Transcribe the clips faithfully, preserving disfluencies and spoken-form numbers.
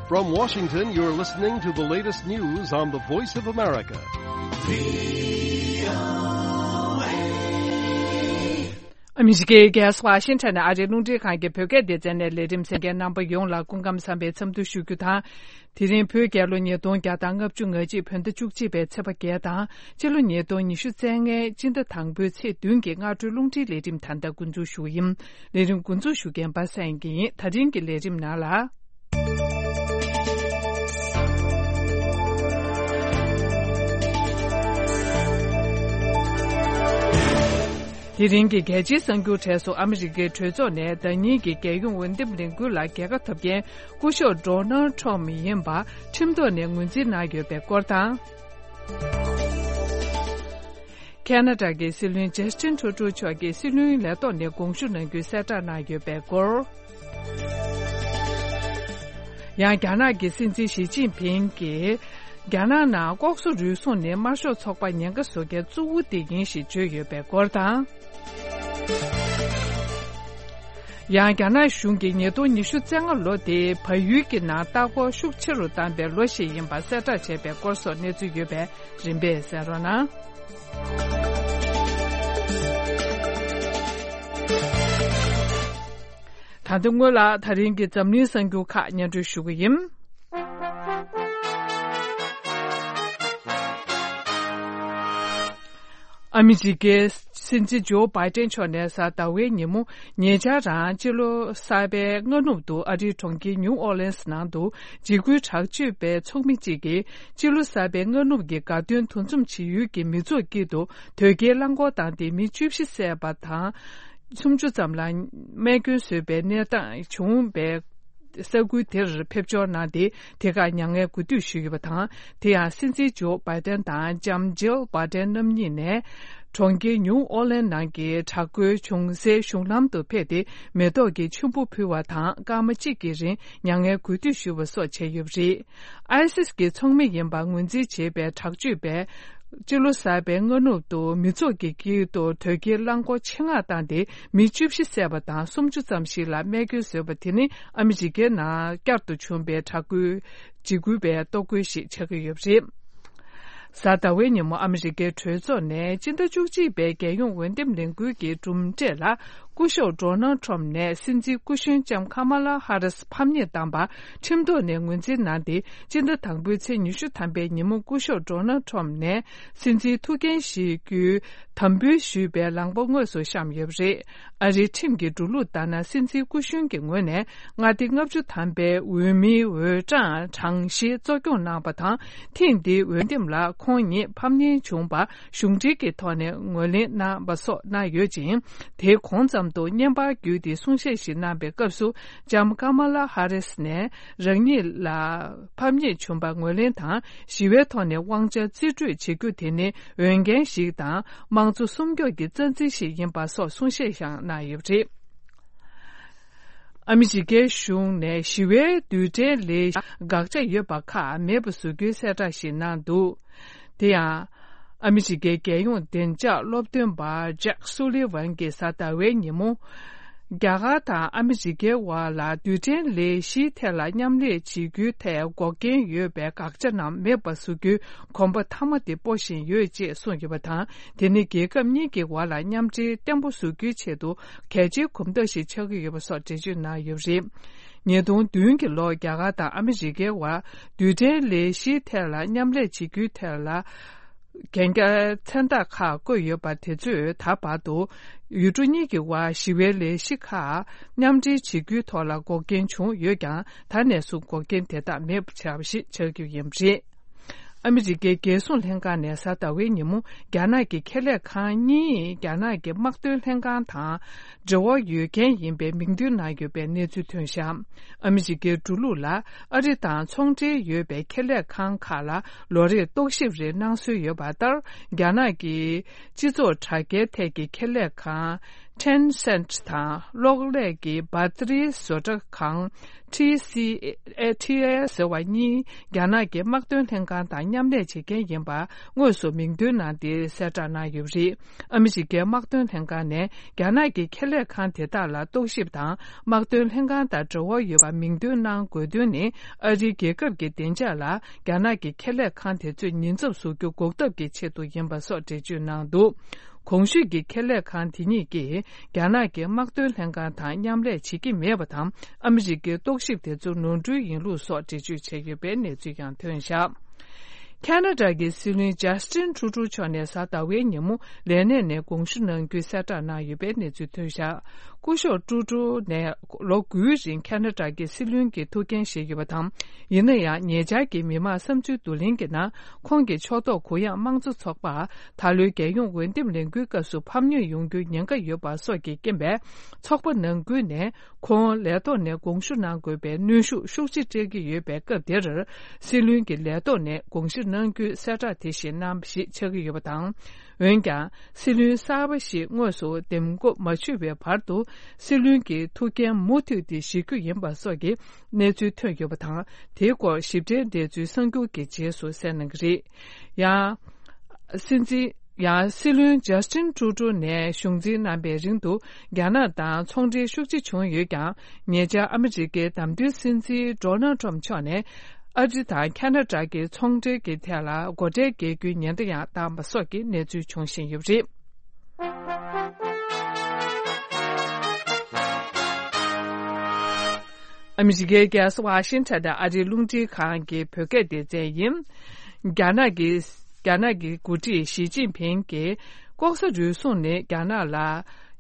From Washington, you're listening to the latest news on the Voice of America. ཨ་མི་རི་ཀའི་རྒྱལ་ས་ཝ་ཤིང་ཊོན་ནས་ཨ་རིའི་རླུང་འཕྲིན་ཁང་གི་བོད་སྐད་སྡེ་ཚན་ནས་ལས་རིམ་གསན་མཁན་རྣམ་པ་ཡོངས་ལ་སྐུ་ཁམས་བཟང་བའི་འཚམས་འདུ་ཞུ་རྒྱུ་དང་། དེ་རིང་བོད་རྒྱལ་ལོ་ཉིས་སྟོང་བརྒྱ་དང་ལྔ་བཅུ་ང་གཅིག་བོད་ཟླ་བཅུ་གཅིག་པའི་ཚེས་པ་བརྒྱད་དང་། སྤྱི་ལོ་ཉིས་སྟོང་ཉི་ཤུ་རྩ་ལྔའི་སྤྱི་ཟླ་དང་པོའི་ཚེས་བདུན་གྱི་སྔ་དྲོའི་རླུང་འཕྲིན་ལས་རིམ་ད་ལྟ་འགོ་འཛུགས་ཞུ་གི་ཡིན། ལས་རིམ་འགོ་འཛུགས་ཞུ་མཁན་པ་སངས་དགེ་ཡིན། ད་རིང་གི་ལས་རིམ་ནང་ལ། དེ་རིང་གི་རྒྱལ་སྤྱིའི་གསར་འགྱུར་གྲས་སུ། ཨ་མི་རི་ཀའི་གྲོས་ཚོགས་ནས་ཟླ་ཉིན་གྱི་རྒྱལ་ཡོངས་འོས་འདེམས་ལས་འགུལ་ལ་རྒྱལ་ཁ་ཐོབ་མཁན་སྐུ་ཞབས་ཌོ་ནལ་ཁྲོམ་ཡིན་པ་ཁྲིམས་ཐོག་ནས་ངོས་འཛིན་གནང་ཡོད་པའི་སྐོར་དང་། ཁེ་ན་ཌ་གི་སྲིད་བློན་ཇ་སི་ཊིན་ཁྲུ་ཌོ་མཆོག་གིས་སྲིད་བློན་ལས་ཐོག་ནས་དགོངས་ཞུ་གནང་རྒྱུའི་གསལ་བསྒྲགས་གནང་ཡོད་པའི་སྐོར། ཡང་རྒྱ་ནག་གི་སྲིད་འཛིན་ཞི་ཅིན་ཕིང་གིས། རྒྱ་ནག་ནང་ལྐོག་ཟ་རུལ་སུངས་ནི་དམར་ཤོག་ཚོགས་པ་ཉེན་ཁ་བཟོ་མཁན་གཙོ་བོ་དེ་ཡིན་ཞེས་བརྗོད་ཡོད་པའི་སྐོར་དང་། ཡང་རྒྱ་ནག་གཞུང་གིས་ཉིས་སྟོང་ཉི་ཤུ་རྩ་ལྔ་ལོ་དེ་བལ་ཡུལ་གྱི་ནང་ལྟ་སྐོར་ཤུགས་ཆེ་རུ་བཏང་པའི་ལོ་ཞིག་ཡིན་པ་གསལ་བསྒྲགས་བྱས་པའི་སྐོར་སོགས་གནས་ཚུལ་ཡོད་པས་རིམ་པས་གསན་རོགས་གནང་། ད་ལྟ་སྔོན་ལ་ད་རིང་གི་འཛམ་གླིང་གསར་འགྱུར་ཁག་སྙན་སྒྲོན་ཞུ་གི་ཡིན། ཨ་མི་རི་ཀའི་སྲིད་འཛིན་ཇོ་བྷའི་ཏན་མཆོག་ནས་གཟའ་ཟླ་བའི་ཉིན་མོ་ཉེ་ཆར་རང་སྤྱི་ལོ་གསར་པའི་སྔ་ནུབ་ཏུ་ཨ་རིའི་གྲོང་ཁྱེར་ནིའུ་ཨོ་ལེན་སི་ནང་དུ་འཇིགས་སྐུལ་དྲག་སྤྱོད་པའི་ཚོགས་མི་གཅིག་གིས་སྤྱི་ལོ་གསར་པའི་སྔ་ནུབ་ཀྱི་དགའ་སྟོན་འདུ་འཛོམས་བྱེད་ཡུལ་གྱི་མི་ཚོགས་དཀྱིལ་དུ་དོས་སྐྱེལ་རླངས་འཁོར་བཏང་སྟེ་མི་བཅུ་བཞི་བསད་པ་དང་། སུམ་ཅུ་ཙམ་ལ་རྨས་སྐྱོན་བཟོས་པའི་གནས་སྟངས་བྱུང་བའི་ས་ཁུལ་དེར་ཕེབས་འབྱོར་གནང་སྟེ། དེ་ཁར་མྱ་ངན་གུས་འདུད་ཞུས་ཡོད་པ་དང་། དེ་ཡང་སྲིད་འཛིན་ཇོ་བྷའི་ཏན་དང་ལྕམ་ཇིལ་བྷའི་ཏན་རྣམ་གཉིས་ནས། གྲོང་ཁྱེར་ནིའུ་ཨོ་ལེན་ནང་གི་དྲག་རྒོལ་བྱུང་སའི་གཞུང་ལམ་དུ་ཕེབས་ཏེ། མེ་ཏོག་གི་ཆུན་པོ་ཕུལ་བ་དང་། སྐར་མ་གཅིག་གི་རིང་མྱ་ངན་གུས་འདུད་ཞུ་བ་སོགས་བྱས་ཡོད་པ་རེད། ཨའི་སིས་ཀྱི་ཚོགས་མི་ཡིན་པ་ངོས་འཛིན་བྱེད་པའི་དྲག་སྤྱོད་པས། སྤྱི་ལོ་གསར་པའི་སྔ་ནུབ་ཏུ་མི་ཚོགས་ཀྱི་དཀྱིལ་དུ་དོས་སྐྱེལ་རླངས་འཁོར་ཆེད་མངགས་བཏང་སྟེ། མི་བཅུ་བཞི་བསད་པ་དང་། སུམ་ཅུ་ཙམ་ཞིག་ལ་རྨས་སྐྱོན་བཟོས་པ་དེ་ནི། ཨ་མི་རི་ཀའི་ནང་བསྐྱར་དུ་བྱུང་པའི་དྲག་རྒོལ་འཇིགས་སྐུལ་བའི་རྟོག་བཀོད་ཞིག་ཆགས་ཀྱི་ཡོད་པ་རེད། གཟའ་ཟླ་བའི་ཉིན་མོ་ཨ་མི་རི་ཀའི་གྲོས་ཚོགས་ནས་སྤྱི་ཟླ་བཅུ་གཅིག་པའི་རྒྱལ་ཡོངས་འོས་འདེམས་ལས་འགུལ་གྱི་གྲུབ་འབྲས་ལ། སྐུ་ཞབས་ཌོ་ནལ་ཁྲོམ་ནས་སྲིད་འཛིན་སྐུ་གཞོན་ལྕམ་ཁ་མ་ལ་ཧ་རིས་ཕམ་ཉེས་བཏང་པ་ཁྲིམས་ཐོག་ནས་ངོས་འཛིན་གནང་སྟེ། སྤྱི་ཟླ་དང་པོའི་ཚེས་ཉི་ཤུ་ཐམ་པའི་ཉིན་མོ་སྐུ་ཞབས་ཌོ་ནལ་ཁྲོམ་ནས་སྲིད་འཛིན་ཐུགས་འགན་བཞེས་རྒྱུའི་དམ་འབུལ་ཞུས་པའི་ལངས་པ་དངོས་སུ་བཤམས་ཡོད་པ་རེད། ཨ་རིའི་ཁྲིམས་ཀྱི་འགྲོ་ལུགས་ལྟར་ན། སྲིད་འཛིན་སྐུ་གཞོན་གྱི་ངོས་ནས་མངའ་སྡེ་ལྔ་བཅུ་ཐམ་པའི་འོས་མིའི་འོས་གྲངས་གྲངས་བཤེར་གཙོ་སྐྱོང་གནང་བ་དང་། ཐེངས་འདིའི་འོས་འདེམས་ལ་ཁོང་ཉིད་ཕམ་ཉེས་བྱུང་བར་གཞུང་འབྲེལ་གྱི་ཐོག་ནས་ངོས་ལེན་གནང་བ་སོགས་གནང་ཡོད་ཅིང་། དེའི་གོང་ཙམ་དུ་བརྙན་པར་བརྒྱུད་དེ་གསུང་བཤད་ཞིག་གནང་པའི་སྐབས་སུ། ལྕམ་ཀ་མ་ལ་ཧ་རིས་ནས་རང་ཉིད་ལ་ཕམ་ཉེས་བྱུང་བར་ངོས་ལེན་དང་། ཞི་བའི་ཐོག་ནས་དབང་ཆ་རྩིས་སྤྲོད་བྱེད་རྒྱུ་དེ་ནི་འོས་འགན་ཞིག་དང་། དམངས་གཙོ་སྲུང་སྐྱོབ་ཀྱི་རྩ་འཛིན་ཞིག་ཡིན་པ་སོགས་གསུང་བཤད་ཀྱང་གནང་ཡོད་པ་རེད། ཨ་མི་རི་ཀའི་གཞུང་ནས་ཞི་བའི་རྡུལ་ཕྲན་ལས་དགག་བྱ་ཡོད་པ་ཁག་མེད་པ་བཟོ་རྒྱུའི་གསལ་བསྒྲགས་ཤིག་གནང་འདུག་དེ་ཡང་། ཨ་མི་རི་ཀའི་རྒྱལ་ཡོངས་བདེ་འཇགས་སློབ་སྟོན་པ་ཇེག་སུ་ལི་ཝན་གྱིས་གཟའ་ཟླ་བའི་ཉིན་མོ། རྒྱ་གར་དང་ཨ་མི་རི་ཀའི་བར་ལ་རྡུལ་ཕྲན་ལས་གཞིའི་ཐད་ལ་མཉམ་ལས་བྱེད་རྒྱུའི་ཐད་འགོག་རྐྱེན་ཡོད་པའི་དགག་བྱ་རྣམས་མེད་པ་བཟོ་རྒྱུའི་གོམ་པ་མཐའ་མ་དེ་སྤོ་བཞིན་ཡོད་ཅེས་གསུངས་ཡོད་པ་དང་། དེ་ནི་རྒྱལ་ཁབ་གཉིས་ཀྱི་བར་ལ་མཉམ་འབྲེལ་བརྟན་པོ་བཟོ་རྒྱུའི་ཆེད་དུ་གལ་ཆེའི་གོམ་སྟབས་ཤིག་ཆགས་ཀྱི་ཡོད་པ་སོགས་འགྲེལ་བརྗོད་གནང་ཡོད་པ་རེད། ཉིས་སྟོང་བདུན་གྱི་ལོར་རྒྱ་གར་དང་ཨ་མི་རི་ཀའི་བར་རྡུལ་ཕྲན་ལས་གཞིའི་ཐད་ལ་མཉམ་ལས་བྱེད་རྒྱུའི་ཐད་ལ། གན་རྒྱ་མཚན་རྟགས་ཁག་བཀོད་ཡོད་པ་དེ་ཚོས་ད་བར་དུ་ཡུལ་གྲུ་གཉིས་ཀྱི་དབར་ཞི་བའི་ལས་གཞི་ཁག་མཉམ་འབྲེལ་བྱེད་རྒྱུའི་ཐོག་ལ་འགོག་རྐྱེན་བྱུང་ཡོད་ཀྱང་། ད་ནས་བཟུང་འགོག་རྐྱེན་དེ་དག་མེད་པ་བྱས་པ་ཞིག་ཆགས་རྒྱུ་ཡིན་པ་རེད། ཨ་མི་རི་ཀའི་རྒྱལ་སྲུང་ལྷན་ཁང་ནས་གཟའ་ཟླ་བའི་ཉིན་མོ་རྒྱ་ནག་གི་ཁེ་ལས་ཁང་གཉིས་རྒྱ་ནག་གི་དམག་དོན་ལྷན་ཁང་དང་འབྲེལ་བ་ཡོད་མཁན་ཡིན་པའི་མིང་འདོན་གནང་ཡོད་པའི་གནས་ཚུལ་ཐོན་བཞག་ཨ་མི་རི་ཀའི་འགྲོ་ལུགས་ལ། ཨ་རི་དང་ཚོང་འབྲེལ་ཡོད་པའི་ཁེ་ལས་ཁང་ཁག་ལ་ལོ་རེར་རྟོག་ཞིབ་རེ་གནང་སྲོལ་ཡོད་པ་ལྟར། རྒྱ་ནག་གི་སྤྱི་ཚོགས་དྲ་རྒྱའི་ཐད་ཀྱི་ཁེ་ལས་ཁང་ Tencent དང་གློག་ཀླད་ཀྱི་བྷ་ཏི་རིའི་བཟོ་གྲྭ་ཁང་ཊི་སི་ཨེ་ཟེར་བ་གཉིས་རྒྱ་ནག་གི་དམག་དོན་ལྷན་ཁང་དང་མཉམ་ལས་བྱེད་མཁན་ཡིན་པ་དངོས་སུ་མིང་འདོན་གནང་སྟེ་གསལ་བསྒྲགས་གནང་ཡོད་པ་རེད། ཨ་མི་རི་ཀའི་དམག་དོན་ལྷན་ཁང་ནས་རྒྱ་ནག་གི་ཁེ་ལས་ཁང་དེ་དག་ལ་རྟོག་ཞིབ་དང་དམག་དོན་ལྷན་ཁང་དང་འབྲེལ་བ་ཡོད་པ་མིང་འདོན་གནང་དགོས་དོན་ནི་ཨ་རིའི་རྒྱལ་ཁབ་ཀྱི་བདེ་འཇགས་ལ་རྒྱ་ནག་གི་ཁེ་ལས་ཁང་དེ་ཚོས་ཉེན་ཚབས་བཟོ་རྒྱུ་འགོག་ཐབས་ཀྱི་ཆེད་དུ་ཡིན་པ་སོགས་འགྲེལ་བརྗོད་གནང་འདུག་གོང་ཞུས་ཀྱི་ཁེ་ལས་ཁང་དེ་གཉིས་ཀྱིས་རྒྱ་ནག་གི་དམག་དོན་ལྷན་ཁང་དང་མཉམ་ལས་བྱེད་ཀྱི་མེད་པ་དང་། ཨ་མི་རི་ཀའི་རྟོག་ཞིབ་དེ་ཚོ་ནོར་འཁྲུལ་ཡིན་ལུགས་སོགས་འགྲེལ་བརྗོད་བྱས་ཡོད་པའི་གནས་ཚུལ་ཡང་ཐོན་བཞག་ཁ་ན་ཌ་གི་སྲིད་བློན་ཇ་སི་ཊིན་ཀྲུ་ཀྲུ་མཆོག་ནས་གཟའ་ཟླ་བའི་ཉིན་མོ་ལས་གནས་ནས་དགོངས་ཞུ་གནང་རྒྱུའི་གསལ་བསྒྲགས་གནང་ཡོད་པའི་གནས་ཚུལ་ཐོན་བཞག་སྐུ་ཞབས་ཀྲུ་ཀྲུ་ནས་ལོ་དགུའི་རིང་ཁ་ན་ཌ་གི་སྲིད་བློན་གྱི་ཐུགས་འགན་བཞེས་ཡོད་པ་དང་། ཡིན་ན་ཡང་ཉེ་ཆར་གྱི་མི་མང་བསམ་ཚུལ་བསྡུ་ལེན་གྱི་ནང་ཁོང་གི་ཕྱོགས་གཏོགས་གུ་ཡངས་དམངས་གཙོ་ཚོགས་པ། ད་ལོའི་རྒྱལ་ཡོངས་འོས་འདེམས་ལས་འགུལ་སྐབས་སུ་ཕམ་ཉེས་ཡོང་རྒྱུའི་ཉེན་ཁ་ཡོད་པ་སོགས་ཀྱི་རྐྱེན་པས། ཚོགས་པ་ནང་ཁུལ་ནས་ཁོང་ལས་ཐོག་ནས་དགོངས་ཞུ་གནང་དགོས་པའི་གནོན་ཤུགས་ཤུགས་ཆེ་སྤྲད་ཀྱི་ཡོད་པའི་སྐབས་དེར། སྲིད་བློན་གྱི་ལས་ཐོག་ནས་དགོངས་ཞུ་གནང་རྒྱུའི་གསལ་བསྒྲགས་དེ་བཞིན་གནང་བ་ཞིག་ཆགས་ཀྱི་ཡོད་པ་དང་། འོན་ཀྱང་། སྲིད་བློན་གསར་པ་ཞིག་དངོས་སུ་འདེམས་བསྐོ་མ་བྱས་པའི་བར་དུ། སྲིད་བློན་གྱི་ཐུགས་འགན་མུ་མཐུད་དེ་བཞེས་རྒྱུ་ཡིན་པ་སོགས་ཀྱི་གནས་ཚུལ་ཐོན་ཡོད་པ་དང་། དེའི་སྐོར་ཞིབ་ཕྲའི་འགྲེལ་ཚུལ་གསར་འགྱུར་གྱི་རྗེས་སུ་གསན་གནང་གི་རེད། ཡང་། སྲིད་འཛིན། ཡང་སྲིད་བློན་ཇ་སི་ཊིན་ཀྲུ་ཀྲུ་ནས་གཞུང་འཛིན་གནང་པའི་རིང་དུ་རྒྱ་ནག་དང་ཚོང་འབྲེལ་ཤུགས་ཆེ་བྱུང་ཡོད་ཀྱང་། ཉེ་ཆར་ཨ་མི་རི་ཀའི་བདམས་ཐོན་སྲིད་འཛིན་ཌོ་ནལ་ཊམ་མཆོག་ནས་ཨ་རི་དང་ཁ་ན་ཌ་གི་ཚོང་འབྲེལ་གྱི་ཐད་ལ་སྒོ་ཁྲལ་འགེལ་རྒྱུའི་ཉེན་བརྡ་ཡང་བཏང་པ་སོགས་ཀྱི་གནས་ཚུལ་བྱུང་བཞིན་ཡོད་པ་རེད། ཨ་མི་རི་ཀའི་རྒྱལ་ས་ཝ་ཤིང་ཊོན་དང་ཨ་རིའི་རླུང་འཕྲིན་ཁང་གི་བོད་སྐད་སྡེ་ཚན་ཡིན། རྒྱ་ནག་གི་རྒྱ་ནག་གི་འགོ་ཁྲིད་ཞི་ཅིན་ཕིང་གིས་ལྐོག་ཟ་རུལ་སུངས་ནི་རྒྱ་ནག་ལ་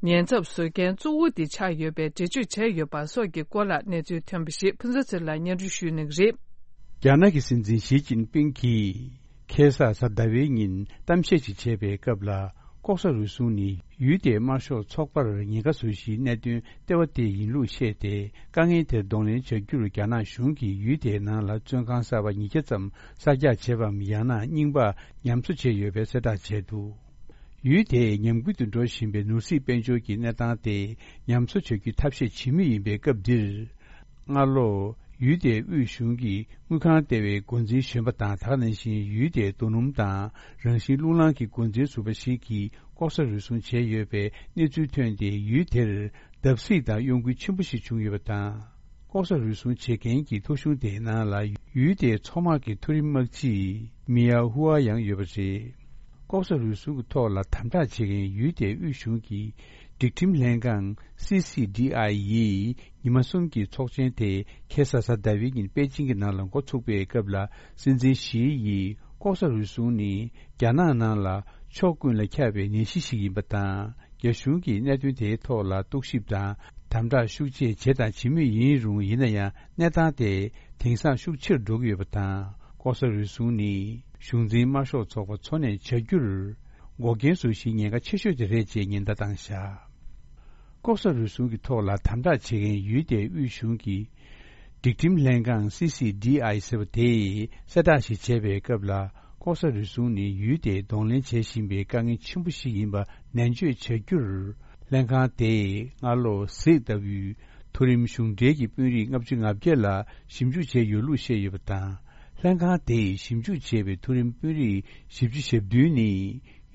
ཉེན་ཚབས་བཟོ་མཁན་གཙོ་བོ་དེ་ཆགས་ཡོད་པའི་འགྲེལ་བརྗོད་བྱས་ཡོད་པ་སོགས་ཀྱི་སྐོར་ལ་གནས་ཚུལ་ཐོན་པ་ཞིག་ཕུན་ཚོགས་ཚེ་རིང་ལགས་སྙན་སྒྲོན་ཞུ་གནང་གི་རེད། རྒྱ་ནག་གི་སྲིད་འཛིན་ཞི་ཅིན་ཕིང་གིས་ཁ་སང་གཟའ་ཟླ་བའི་ཉིན་གཏམ་བཤད་ཅིག་བྱས་པའི་སྐབས་ལ། ལྐོག་ཟ་རུལ་སུངས་ནི་ཡུལ་དེའི་དམར་ཤོག་ཚོགས་པར་ཉེན་ཁ་བཟོ་གཞིའི་གནད་དོན་ལྟེ་བ་དེ་ཡིན་ལུགས་བཤད་དེ། དཀའ་ངལ་དེར་གདོང་ལེན་བྱ་རྒྱུར་རྒྱ་ནག་གཞུང་གིས་ཡུལ་དེའི་ནང་ལ་བཙོན་ཁང་གསར་པ་ཉིས་བརྒྱ་ཙམ་གསར་རྒྱག་བྱས་པའམ། ཡང་ན་རྙིང་པ་ཉམས་གསོ་བྱས་ཡོད་པའི་གསལ་བསྒྲགས་བྱས་འདུག་ཡུལ་དེའི་ཉམས་རྒུད་དུ་འགྲོ་བཞིན་པའི་ནོར་སྲིད་དཔལ་འབྱོར་གྱི་གནས་སྟངས་དེ་ཉམས་གསོ་བྱ་རྒྱུའི་ཐབས་ཤེས་བྱེད་མུས་ཡིན་པའི་སྐབས་འདིར། སྔ་ལོ། ཡུལ་དེའི་དབུས་གཞུང་གིས་དངུལ་ཁང་ལྟེ་བའི་འགོ་འཛིན་གཞོན་པ་དང་། ད་ག་ནང་བཞིན་ཡུལ་དེའི་རྡོ་སྣུམ་དང་རང་བཞིན་རླུང་ལངས་ཀྱི་འགོ་འཛིན་ཟུར་པ་ཞིག་གིས་ལྐོག་ཟ་རུལ་སུངས་བྱས་ཡོད་པའི་གནས་ཚུལ་ཐོན་ཏེ། ཡུལ་དེར་བརྡབ་གསིག་དང་གཡོ་འགུལ་ཆེན་པོ་ཞིག་བྱུང་ཡོད་པ་དང་། ལྐོག་ཟ་རུལ་སུངས་བྱེད་མཁན་གྱི་ཐོ་གཞུང་དེའི་ནང་ལ་ཡུལ་དེའི་མཚོ་དམག་གི་མཐོ་རིམ་དམག་སྤྱི་མི་ཡ་ཧུའ་ཡང་ཡོད་པ་རེད། ལྐོག་ཟ་རུལ་སུངས་ཀྱི་ཐོག་ལ་དམ་དྲག་བྱེད་མཁན་ཡུལ་དེའི་དབུས་གཞུང་གི་སྒྲིག་ཁྲིམས་ལྷན་ཁང་སི་སི་ཌི་ཨའི་ཡིས་ཉི་མ་གསུམ་གྱི་ཚོགས་ཆེན་དེ་ཁ་སང་གཟའ་ཟླ་བའི་ཉིན་པེ་ཅིང་གི་ནང་ལ་འགོ་ཚུགས་པའི་སྐབས་ལ། སྲིད་འཛིན་ཞི་ཡིས་ལྐོག་ཟ་རུལ་སུངས་ནི་རྒྱ་ནག་ནང་ལ་ཕྱོགས་ཀུན་ལ་ཁྱབ་པའི་ནད་གཞི་ཞིག་ཡིན་པ་དང་། རྒྱ་གཞུང་གིས་གནད་དོན་དེའི་ཐོག་ལ་རྟོག་ཞིབ་དང་དམ་དྲག་ཤུགས་ཆེ་བྱས་དང་བྱེད་མུས་ཡིན་རུང་། ཡིན་ན་ཡང་གནས་སྟངས་དེ་དེང་སང་ཤུགས་ཆེར་འགྲོ་གི་ཡོད་པ་དང་། ལྐོག་ཟ་རུལ་སུངས་ནི་གཞུང་འཛིན་དམར་ཤོག་ཚོགས་པ་འཚོ་གནས་བྱ་རྒྱུར་འགོག་རྐྱེན་བཟོ་གཞིའི་ཉེན་ཁ་ཆེ་ཤོས་དེ་རེད་ཅེས་ཉེན་བརྡ་བཏང་བཞག་ལྐོག་ཟ་རུལ་སུངས་ཀྱི་ཐོག་ལ་དམ་དྲག་བྱེད་མཁན་ཡུལ་དེའི་དབུས་གཞུང་གི་སྒྲིག་ཁྲིམས་ལྷན་ཁང་སི་སི་ཌི་ཨའི་ཟེར་བ་དེས་གསལ་བསྒྲགས་ཤིག་བྱས་པའི་སྐབས་ལ། ལྐོག་ཟ་རུལ་སུངས་ནི་ཡུལ་དེས་གདོང་ལེན་བྱེད་བཞིན་པའི་དཀའ་ངལ་ཆེན་པོ་ཞིག་ཡིན་པ་ནན་བརྗོད་བྱ་རྒྱུར། ལྷན་ཁང་དེས་སྔ་ལོ་གཟེགས་ལྟ་བུའི་མཐོ་རིམ་གཞུང་འབྲེལ་གྱི་དཔོན་རིགས་ལྔ་བཅུ་ང་བརྒྱད་ལ་ཞིབ་འཇུག་བྱས་ཡོད་ལུགས་བཤད་ཡོད་པ་དང་། ལྷན་ཁང་དེས་ཞིབ་འཇུག་བྱས་པའི་མཐོ་རིམ་དཔོན་རིགས་བཞི་བཅུ་ཞེ་བདུན་ནི།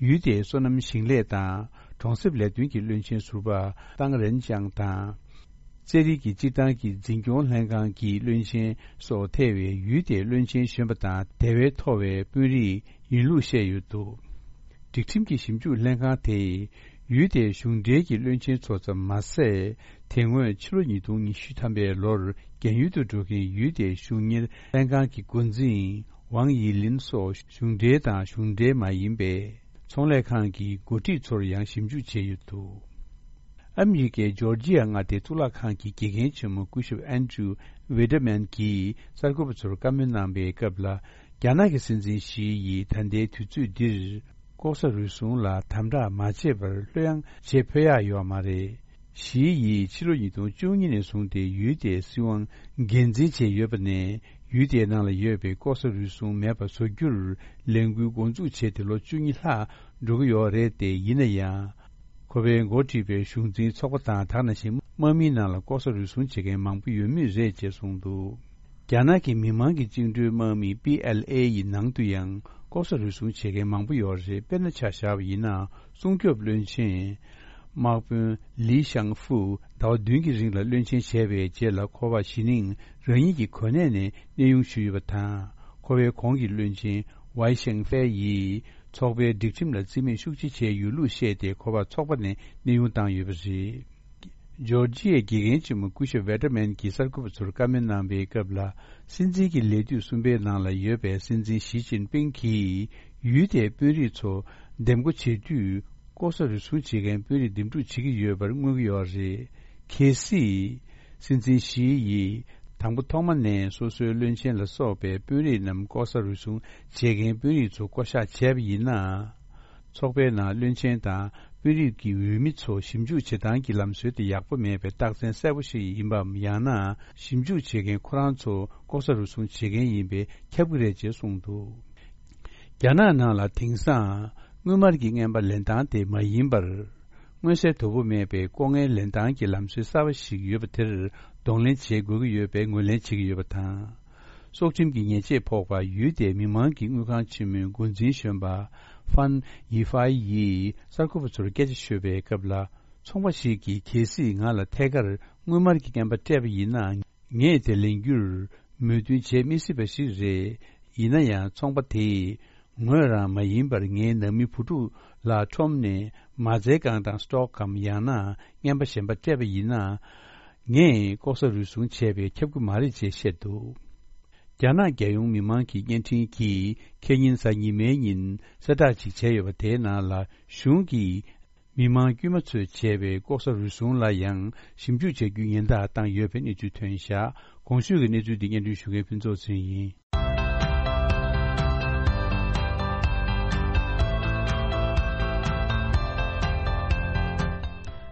ཡུལ་དེའི་སོ་ནམ་ཞིང་ལས་དང་གྲོང་གསེབ་ལས་དོན་གྱི་བློན་ཆེན་ཟུར་པ་ཏང་རེན་ཅང་དང་། རྩེད་རིགས་ཀྱི་སྤྱིར་བཏང་གི་འཛིན་སྐྱོང་ལྷན་ཁང་གི་བློན་ཆེན་སོགས་ཐེ་བའི་ཡུལ་དེའི་བློན་ཆེན་གཞོན་པ་དང་དེ་བས་མཐོ་བའི་དཔོན་རིགས་ཡིན་ལུགས་བཤད་ཡོད་འདུག་སྒྲིག་ཁྲིམས་ཀྱི་ཞིབ་འཇུག་ལྷན་ཁང་དེས་ཡུལ་དེའི་གཞུང་འབྲེལ་གྱི་བློན་ཆེན་ཚོ་ཙམ་མ་ཟད། དེ་སྔོན་ཕྱི་ལོ་ཉིས་སྟོང་ཉི་ཤུ་ཐམ་པའི་ལོར་རྒན་ཡོལ་དུ་འགྲོ་མཁན་ཡུལ་དེའི་གཞུང་གཉེར་ལྷན་ཁང་གི་འགོ་འཛིན་ཝང་ཡི་ལིན་སོགས་གཞུང་འབྲེལ་དང་གཞུང་འབྲེལ་མ་ཡིན་པའི་ཚོང་ལས་ཁང་གི་འགོ་ཁྲིད་ཚོར་ཡང་ཞིབ་འཇུག་བྱས་ཡོད་འདུག་ཨ་མི་རི་ཀའི་ཇོར་ཇི་ཡ་མངའ་སྡེའི་གཙུག་ལག་ཁང་གི་དགེ་རྒན་ཆེན་མོ་སྐུ་ཞབས་ཨན་ཌྲུ་ཝི་ཏེར་མན་གྱིས་གསར་འགོད་པ་ཚོར་བཀའ་མོལ་གནང་པའི་སྐབས་ལ། རྒྱ་ནག་གི་སྲིད་འཛིན་ཞི་ཡིས་ད་ལྟའི་དུས་ཚོད་འདིར་ལྐོག་ཟ་རུལ་སུངས་ལ་དམ་དྲག་མ་བྱས་པར་ལྷོད་ཡངས་བྱེད་ཕོད་ཡག་ཡོད་མ་རེད། ཞི་ཡིས་ཕྱི་ལོ་ཉིས་སྟོང་བཅུ་གཉིས་ནས་བཟུང་སྟེ་ཡུལ་དེའི་སྲིད་དབང་འགན་འཛིན་བྱས་ཡོད་པ་ནས། ཡུལ་དེའི་ནང་ལ་ཡོད་པའི་ལྐོག་ཟ་རུལ་སུངས་མེད་པ་བཟོ་རྒྱུར་ལས་འགུལ་འགོ་འཛུགས་བྱས་ཏེ་ལོ་བཅུ་གཉིས་ལྷག་འགྲོ་གི་ཡོད་རེད་དེ། ཡིན་ན་ཡང་། ཁོ་པས་འགོ་ཁྲིད་པའི་གཞུང་འཛིན་ཚོགས་པ་དང་དེ་ནང་བཞིན་དམག་མིའི་ནང་ལ་ལྐོག་ཟ་རུལ་སུངས་བྱེད་མཁན་མང་པོ་ཡོད་མུས་རེད་ཅེས་གསུངས་འདུག། རྒྱ་ནག་གི་མི་དམངས་ཀྱི་བཅིངས་འགྲོལ་དམག་མི་པི་ཨེལ་ཨེ་ཡི་ནང་དུ་ཡང་ལྐོག་ཟ་རུལ་སུངས་བྱེད་མཁན་མང་པོ་ཡོད་རེད། དཔེར་ན་ཆ་བཞག་པ་ཡིན་ན། སྲུང་སྐྱོབ་བློན་ཆེན་དམག་དཔོན་ལི་ཤང་ཧྥུ་ཟླ་བ་བདུན་གྱི་རིང་ལ་བློན་ཆེན་བྱས་པའི་རྗེས་ལ་ཁོ་པ་གཞི་ནས་རང་ཉིད་ཀྱི་གོ་གནས་ནས་གནས་དབྱུང་ཞུས་ཡོད་པ་དང་། ཁོ་པའི་གོང་གི་བློན་ཆེན་ཝའི་ཤེང་ཧྥེ་ཡིས་ཚོགས་པའི་སྒྲིག་ཁྲིམས་ལ་རྩིས་མེད་ཤུགས་ཆེ་བྱས་ཡོད་ལུགས་བཤད་དེ། ཁོ་པ་ཚོགས་པ་ནས་གནས་དབྱུང་བཏང་ཡོད་པ་རེད། ཇོར་ཇི་ཡའི་དགེ་རྒན་ཆེན་མོ་སྐུ་ཞབས་ཝེ་ཏེར་མན་གྱིས་གསར་འགོད་པ་ཚོར་བཀའ་མོལ་གནང་བའི་སྐབས་ལ། སྲིད་འཛིན་གྱི་ལས་དུས་གསུམ་པའི་ནང་ལ་ཡོད་པའི་སྲིད་འཛིན་ཞི་ཅིན་ཕིང་གིས་ཡུལ་དེའི་དཔོན་རིགས་ཚོ་འདེམས་བསྐོ་བྱེད་དུས། ལྐོག་ཟ་རུལ་སུངས་བྱེད་མཁན་དཔོན་རིགས་འདེམས་སྒྲུག་བྱེད་ཀྱི་ཡོད་པར་མངོན་གྱི་ཡོད་རེད། གལ་སྲིད་སྲིད་འཛིན་ཞི་ཡིས་དང་པོ་ཐོག་མ་ནས་སོ་སོའི་བློན་ཆེན་ལ་སོགས་པའི་དཔོན་རིགས་རྣམས་ལྐོག་ཟ་རུལ་སུངས་བྱེད་མཁན་དཔོན་རིགས་ཚོ་བསྐོ་གཞག་བྱས་པ་ཡིན་ན། ཚོགས་པའི་ནང་བློན་ཆེན་དང་དཔོན་རིགས་ཀྱི་འོས་མི་ཚོ་ཞིབ་འཇུག་བྱེད་སྟངས་ཀྱི་ལམ་སྲོལ་དེ་ཡག་པོ་མེད་པའི་རྟགས་མཚན་གསལ་པོ་ཞིག་ཡིན་པའམ། ཡང་ན་ཞིབ་འཇུག་བྱེད་མཁན་ཁོ་རང་ཚོ་ལྐོག་ཟ་རུལ་སུངས་བྱེད་མཁན་ཡིན་པས་ཁྱབ་ཀྱི་རེད་ཅེས་གསུངས་འདུག། རྒྱ་ནག་ནང་ལ་དེང་སང་དངུལ་སྨར་གྱི་རྔན་པ་ལེན་སྟངས་དེ་མ་ཡིན་པར། མངོན་གསལ་དོད་པོ་མེད་པའི་ལྐོག་རྔན་ལེན་སྟངས་ཀྱི་ལམ་སྲོལ་གསར་པ་ཞིག་ཡོད་པ་དེར་གདོང་ལེན་བྱེད་དགོས་ཀྱི་ཡོད་པའི་ངོས་ལེན་བྱེད་ཀྱི་ཡོད་པ་དང་། སྲོག་ཁྲིམས་ཀྱི་ཉེས་ཆད་ཕོག་པ་ཡུལ་དེའི་མི་དམངས་ཀྱི་དངུལ་ཁང་ཆེན་མོའི་འགོ་འཛིན་གཞོན་པ་ཧྥན་ཡི་ཧྥའི་ཡིས་གསར་འགོད་པ་ཚོར་སྐད་ཆ་ཤོད་པའི་སྐབས་ལ། ཚོང་པ་ཞིག་གིས་གལ་སྲིད་ང་ལ་ཐད་ཀར་དངུལ་སྨར་གྱི་རྔན་པ་སྤྲད་པ་ཡིན་ན། ངས་དེ་ལེན་རྒྱུར་མོས་མཐུན་བྱེད་མི་སྲིད་པ་ཞིག་རེད། ཡིན་ན་ཡང་ཚོང་པ་དེས་ངོས་རང་མ་ཡིན་པར་ངའི་ནང་མི་བུ་ཕྲུག་ལ་ཁྲོམ་ནས་མ་རྩའི་སྒང་དང་སི་ཊོག་གམ། ཡང་ན་རྔན་པ་གཞན་པ་སྤྲད་པ་ཡིན་ན། ངས་ལྐོག་ཟ་རུལ་སུངས་བྱས་པས་ཁྱབ་ཀྱི་མ་རེད་ཅེས་བཤད་འདུག། རྒྱ་ནག་རྒྱལ་ཡོངས་མི་དམངས་ཀྱི་བརྙན་འཕྲིན་གྱིས་ཁེ་ཉིན་གཟའ་ཉི་མའི་ཉིན་གསལ་བསྒྲགས་ཤིག་བྱས་ཡོད་པ་དེའི་ནང་ལ། གཞུང་གིས་མི་དམངས་དཀྱུས་མ་ཚོས་བྱས་པའི་ལྐོག་ཟ་རུལ་སུངས་ལ་ཡང་ཞིབ་འཇུག་བྱ་རྒྱུའི་ཉེན་བརྡ་བཏང་ཡོད་པའི་གནས་ཚུལ་ཐོན་བཞག། གོང་ཞུས་ཀྱི་གནས་ཚུལ་འདི་སྙན་སྒྲོན་ཞུ་མཁན་ཕུན་ཚོགས་ཚེ་རིང་ཡིན། ཨ་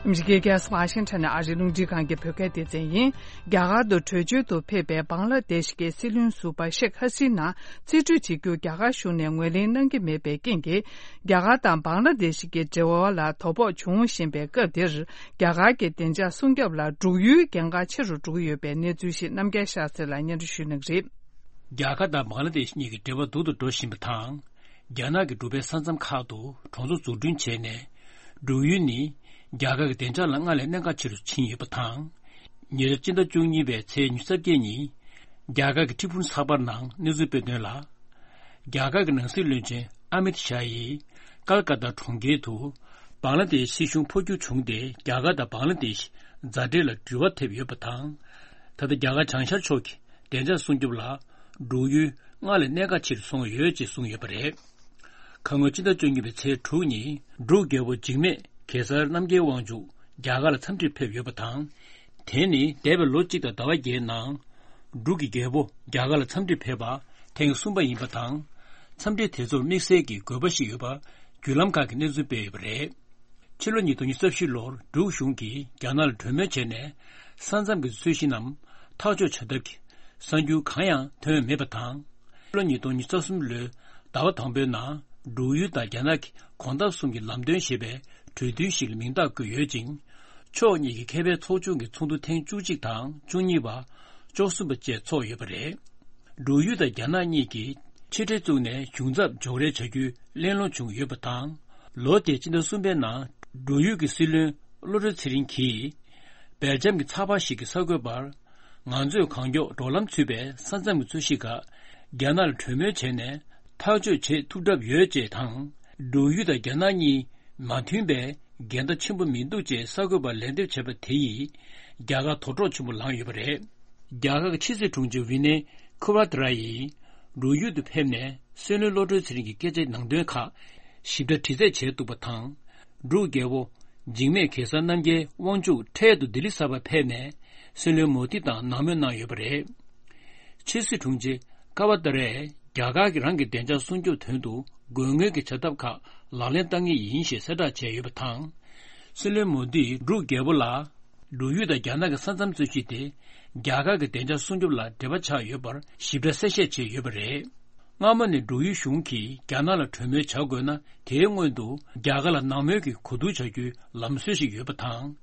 མི་རི་ཀའི་རྒྱལ་ས་ཝ་ཤིང་ཊོན་ནས་ཨ་རིའི་རླུང་འཕྲིན་ཁང་གི་བོད་སྐད་སྡེ་ཚན་ཡིན། རྒྱ་གར་དུ་བྲོས་བྱོལ་དུ་ཕེབས་པའི་བང་ལ་དེ་ཤི་གི་སྲིད་བློན་ཟུར་པ་ཤེག་ཧ་སི་ན་རྩིས་སྤྲོད་བྱེད་རྒྱུ་རྒྱ་གར་གཞུང་ནས་ངོས་ལེན་གནང་གི་མེད་པའི་རྐྱེན་གྱིས། རྒྱ་གར་དང་བང་ལ་དེ་ཤི་གི་འབྲེལ་བ་ལ་དོ་ཕོག་འབྱུང་བཞིན་པའི་སྐབས་འདིར། རྒྱ་གར་གྱི་བདེ་འཇགས་སྲུང་སྐྱོབ་ལ་འབྲུག་ཡུལ་གལ་འགངས་ཆེ་རུ་འགྲོ་གི་ཡོད་པའི་གནས་ཚུལ་ཞིག་རྣམ་རྒྱལ་ཤཱ་ཚེ་ལགས་སྙན་སྒྲོན་ཞུ་གནང་གི་རེད། རྒྱ་གར་དང་བང་ལ་དེ་ཤི་གཉིས་ཀྱི་འབྲེལ་བ་སྡུག་ཏུ་འགྲོ་བཞིན་པ་དང་། རྒྱ་ནག་གི་འབྲུག་པའི་ས་མཚམས་ཁག་ཏུ་གྲོང་ཚོ་འཛུགས་སྐྲུན་བྱས་ནས། འབྲུག་ཡུལ་ནི་རྒྱ་གར་གྱི་བདེ་འཇགས་ལ་སྔར་ལས་གནད་འགག་ཆེ་རུ་ཕྱིན་ཡོད་པ་དང་། ཉེ་ཆར་སྤྱི་ཟླ་བཅུ་གཉིས་པའི་ཚེས་ཉི་ཤུ་རྩ་བརྒྱད་ཉིན། རྒྱ་གར་གྱི་ཀྲི་ཕུན་ཚགས་པར་ནང་གནས་ཚུལ་སྤེལ་དོན་ལ། རྒྱ་གར་གྱི་ནང་སྲིད་བློན་ཆེན་ཨ་མིད་ཤཱ་ཡིས་ཀལ་ཀ་ཏ་གྲོང་ཁྱེར་དུ་བང་ལ་དེ་ཤི་སྲིད་གཞུང་འཕོ་འགྱུར་བྱུང་སྟེ། རྒྱ་གར་དང་བང་ལ་དེ་ཤི་མཛའ་འབྲེལ་ལ་འགྱུར་བ་ཐེབས་ཡོད་པ་དང་། ད་ལྟ་རྒྱ་གར་བྱང་ཤར་ཕྱོགས་ཀྱི་བདེ་འཇགས་སྲུང་སྐྱོབ་ལ་འབྲུག་ཡུལ་སྔར་ལས་གནད་འགག་ཆེ་རུ་སོང་ཡོད་ཅེས་གསུངས་ཡོད་པ་རེད། ཁ་སྔོན་ཕྱི་ཟླ་བཅུ་གཉིས་པའི་ཚེས་དྲུག་ཉིན་འབྲུག་རྒྱལ་པོ་འཇིགས་མེད་གེ་སར་རྣམ་རྒྱལ་དབང་ཕྱུག་རྒྱ་གར་ལ་འཚམས་འདྲིར་ཕེབས་ཡོད་པ་དང་། དེ་ནི་འདས་པའི་ལོ་གཅིག་དང་ཟླ་བ་བརྒྱད་ནང་། འབྲུག་གི་རྒྱལ་པོ་རྒྱ་གར་ལ་འཚམས་འདྲིར་ཕེབས་པ་ཐེངས་གསུམ་པ་ཡིན་པ་དང་། འཚམས་འདྲི་དེ་ཚོར་དམིགས་བསལ་གྱི་དགོས་པ་ཞིག་ཡོད་པ་བརྒྱུད་ལམ་ཁག་གིས་གནས་ཚུལ་སྤེལ་ཡོད་པ་རེད། ཕྱི་ལོ་ཉིས་སྟོང་ཉི་ཤུ་རྩ་བཞི་ལོར་འབྲུག་གཞུང་གིས་རྒྱ་ནག་ལ་གྲོས་མོལ་བྱས་ནས། ས་མཚམས་ཀྱི་རྩོད་གཞི་རྣམས་ཐག་གཅོད་བྱ་ཐབས་ཀྱི་གསར་འགྱུར་གང་ཡང་ཐོན་མེད་པ་དང་། ཕྱི་ལོ་ཉིས་སྟོང་ཉི་ཤུ་རྩ་གསུམ་ལོའི་ཟླ་བ་དང་པོའི་ནང་། འབྲུག་ཡུལ་དང་རྒྱ་ནག་གི་གོང་ཐང་གསུམ་གྱི་ལམ་སྟོན་ཞེས་པའི་གྲོས་མཐུན་ཞིག་ལ་མིང་རྟགས་བཀོད་ཡོད་ཅིང་། ཕྱོགས་གཉིས་ཀྱི་མཁས་པའི་ཚོགས་ཆུང་གི་ཚོགས་འདུ་ཐེངས་བཅུ་གཅིག་དང་བཅུ་གཉིས་པ། བཅུ་གསུམ་པ་བཅས་འཚོགས་ཡོད་པ་རེད། འབྲུག་ཡུལ་དང་རྒྱ་ནག་གཉིས་ཀྱིས་ཕྱི་འབྲེལ་བཙུགས་ནས་གཞུང་ཚབ་འཇོག་རེས་བྱ་རྒྱུའི་གླེང་སློང་བྱུང་ཡོད་པ་དང་། ལོ་དེའི་ཕྱི་ཟླ་གསུམ་པའི་ནང་འབྲུག་ཡུལ་གྱི་སྲིད་བློན་བློ་གྲོས་ཚེ་རིང་གིས། སྦེལ་ཇམ་གྱི་ཚགས་པར་ཞིག་གིས་གསར་འགོད་པར། ང་ཚོས་གང་མགྱོགས་འགྲོ་ལམ་ཚུད་པའི་ས་མཚམས་ཀྱི་རྩོད་གཞི་ཁག་རྒྱ་ནག་ལ་གྲོས་མོལ་བྱས་ནས་ཐག་གཅོད་བྱེད་ཐུབ་གྲབས་ཡོད་ཅེས་དང་། འབྲུག་ཡུལ་དང་རྒྱ་ནག་གཉིས་མ་མཐུན་པའི་འགལ་ཟླ་ཆེན་པོ་མི་འདུག་ཅེས་གསར་འགོད་པར་ལན་འདེབས་བྱས་པ་དེ་ཡིས་རྒྱ་གར་དོགས་འདྲོག་ཆེན་པོ་ལངས་ཡོད་པ་རེད། རྒྱ་གར་གྱི་ཕྱི་སྲིད་དྲུང་ཆེ་ཝི་ནེ་ཁུ་བ་ཏྲ་ཡིས་འབྲུག་ཡུལ་དུ་ཕེབས་ནས་སྲིད་བློན་བློ་གྲོས་ཚེ་རིང་གི་སྐད་ཆའི་ནང་དོན་ཁག་ཞིབ་ཕྲ་དྲི་རྩད་བྱས་འདུག་པ་དང་། འབྲུག་རྒྱལ་པོ་འཇིགས་མེད་གེ་སར་རྣམ་རྒྱལ་དབང་ཕྱུག་འཕྲལ་དུ་ལྡི་ལི་གསར་པར་ཕེབས་ནས་སྲིད་བློན་མོ་དི་དང་གནང་མོལ་གནང་ཡོད་པ་རེད། ཕྱི་སྲིད་དྲུང་ཆེ་ཀ་བ་ཏཱ་རས་རྒྱ་གར་གྱིས་རང་གི་བདེ་འཇགས་སྲུང་སྐྱོབ་དོན་དུ་དགོས་ངེས་ཀྱི་བྱ་ཐབས་ཁག་ལག་ལེན་བསྟར་ངེས་ཡིན་ཞེས་གསལ་བསྒྲགས་བྱས་ཡོད་པ་དང་། སྲིད་བློན་མོ་དིས་འབྲུག་རྒྱལ་པོ་ལ། འབྲུག་ཡུལ་དང་རྒྱ་ནག་གི་ས་མཚམས་རྩོད་གཞི་དེ་རྒྱ་གར་གྱི་བདེ་འཇགས་སྲུང་སྐྱོབ་ལ་འབྲེལ་བ་ཆགས་ཡོད་པར་ཞིབ་ཕྲ་གསལ་བཤད་བྱས་ཡོད་པ་རེད། སྔ་མོ་ནས་འབྲུག་ཡུལ་གཞུང་གིས་རྒྱ་ནག་ལ་གྲོས་མོལ་བྱ་དགོས་ན། དེའི་སྔོན་དུ་རྒྱ་གར་ལ་ནང་མོལ་གྱི་གོ་བསྡུར་བྱ་རྒྱུའི་ལམ་སྲོལ་ཞིག་ཡོད་པ་དང་།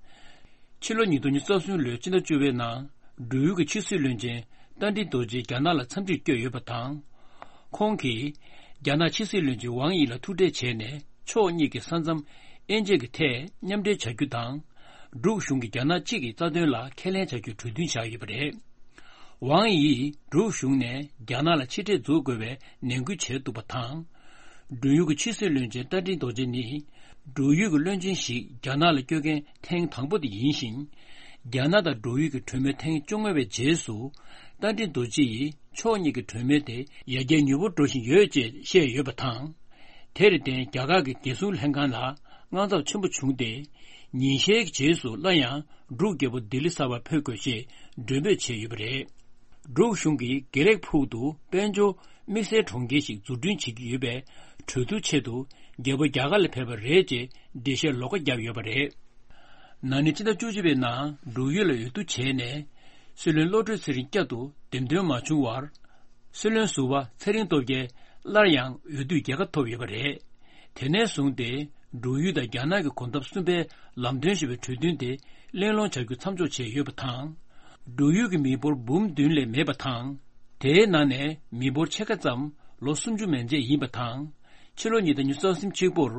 ཕྱི་ལོ་ཉིས་སྟོང་ཉི་ཤུ་རྩ་གསུམ་ལོའི་ཕྱི་ཟླ་བཅུ་པའི་ནང་། འབྲུག་ཡུལ་གྱི་ཕྱི་སྲིད་བློན་ཆེན་རྟ་མགྲིན་རྡོ་རྗེས་རྒྱ་ནག་ལ་འཚམས་འདྲིར་བསྐྱོད་ཡོད་པ་དང་། ཁོང་གིས་རྒྱ་ནག་ཕྱི་སྲིད་བློན་ཆེན་ཝང་དབྱི་ལ་ཐུག་འཕྲད་བྱས་ནས། ཕྱོགས་གཉིས་ཀྱི་ས་མཚམས་དབྱེ་འབྱེད་ཀྱི་ཐད་མཉམ་འབྲེལ་བྱ་རྒྱུ་དང་། འབྲུག་གཞུང་གིས་རྒྱ་ནག་གཅིག་གི་རྩ་དོན་ལ་ཁས་ལེན་བྱ་རྒྱུའི་གྲོས་མཐུན་བཞག་ཡོད་པ་རེད། ཝང་དབྱིས་འབྲུག་གཞུང་ནས་རྒྱ་ནག་ལ་ཕྱིར་ཁྲལ་འཛུགས་དགོས་པའི་ནན་སྐུལ་བྱས་འདུག་པ་དང་། འབྲུག་ཡུལ་གྱི་ཕྱི་སྲིད་བློན་ཆེན་རྟ་མགྲིན་རྡོ་རྗེ་ནི། འབྲུག་ཡུལ་གྱི་བློན་ཆེན་ཞིག་རྒྱ་ནག་ལ་བསྐྱོད་མཁན་ཐེངས་དང་པོ་དེ་ཡིན་ཞིང་། རྒྱ་ནག་དང་འབྲུག་ཡུལ་གྱི་གྲོས་མོལ་ཐེངས་བཅོ་ལྔ་པའི་རྗེས་སུ། རྟ་མགྲིན་རྡོ་རྗེ་ཡིས་ཕྱོགས་གཉིས་ཀྱི་གྲོས་མོལ་དེ་ཡར་རྒྱས་མྱུར་པོ་འགྲོ་བཞིན་ཡོད་ཅེས་བཤད་ཡོད་པ་དང་། དེར་བརྟེན། རྒྱ་གར་གྱི་རྒྱལ་སྲུང་ལྷན་ཁང་ལ་དངངས་འཚབ་ཆེན་པོ་བྱུང་སྟེ། ཉིན་ཤས་ཀྱི་རྗེས་སུ་སླར་ཡང་འབྲུག་རྒྱལ་པོ་ལྡི་ལི་གསར་པར་ཕེབས་དགོས་ཞེས་མགྲོན་འབོད་བྱས་ཡོད་པ་རེད། འབྲུག་གཞུང་གིས་དགེ་ལེགས་ཕུག་ཏུ་དཔལ་འབྱོར་དམིགས་བསལ་གྲོང་ཁྱེར་ཞིག་འཛུགས་སྐྲུན་བྱེད་ཀྱི་ཡོད་པའི་གྲོས་བསྡུར་ཆེད་དུ། རྒྱལ་པོ་རྒྱ་གར་ལ་ཕེབས་པ་རེད་ཅེས་འགྲེལ་བཤད་ལོགས་ཀ་བརྒྱབ་ཡོད་པ་རེད། ན་ནིང་ཕྱི་ཟླ་བཅུ་གཅིག་པའི་ནང་འབྲུག་ཡུལ་ལ་འོས་བསྡུ་བྱས་ནས། སྲིད་བློན་བློ་གྲོས་ཚེ་རིང་བསྐྱར་དུ་འདེམས་ཐོན་མ་བྱུང་བར། སྲིད་བློན་ཟུར་པ་ཚེ་རིང་སྟོབས་རྒྱལ་སླར་ཡང་འོས་བསྡུའི་རྒྱལ་ཁ་ཐོབ་ཡོད་པ་རེད། དེ་ནས་བཟུང་སྟེ། འབྲུག་ཡུལ་དང་རྒྱ་ནག་གི་གོམ་སྟབས་གསུམ་པའི་ལམ་སྟོན་ཞེས་པའི་གྲོས་མཐུན་དེ་གླེང་སློང་བྱ་རྒྱུ་མཚམས་འཇོག་བྱས་ཡོད་པ་དང་། འབྲུག་ཡུལ་གྱི་མི་འབོར་འབུམ་བདུན་ལས་མེད་པ་དང་། དེའི་ནང་ནས་མི་འབོར་ཕྱེད་ཀ་ཙམ་ལོ་སུམ་ཅུ་མན་ཆད་ཡིན་པ་དང་། ཕྱི་ལོ་ཉིས་སྟོང་ཉི་ཤུ་རྩ་གསུམ་གཅིག་པོར།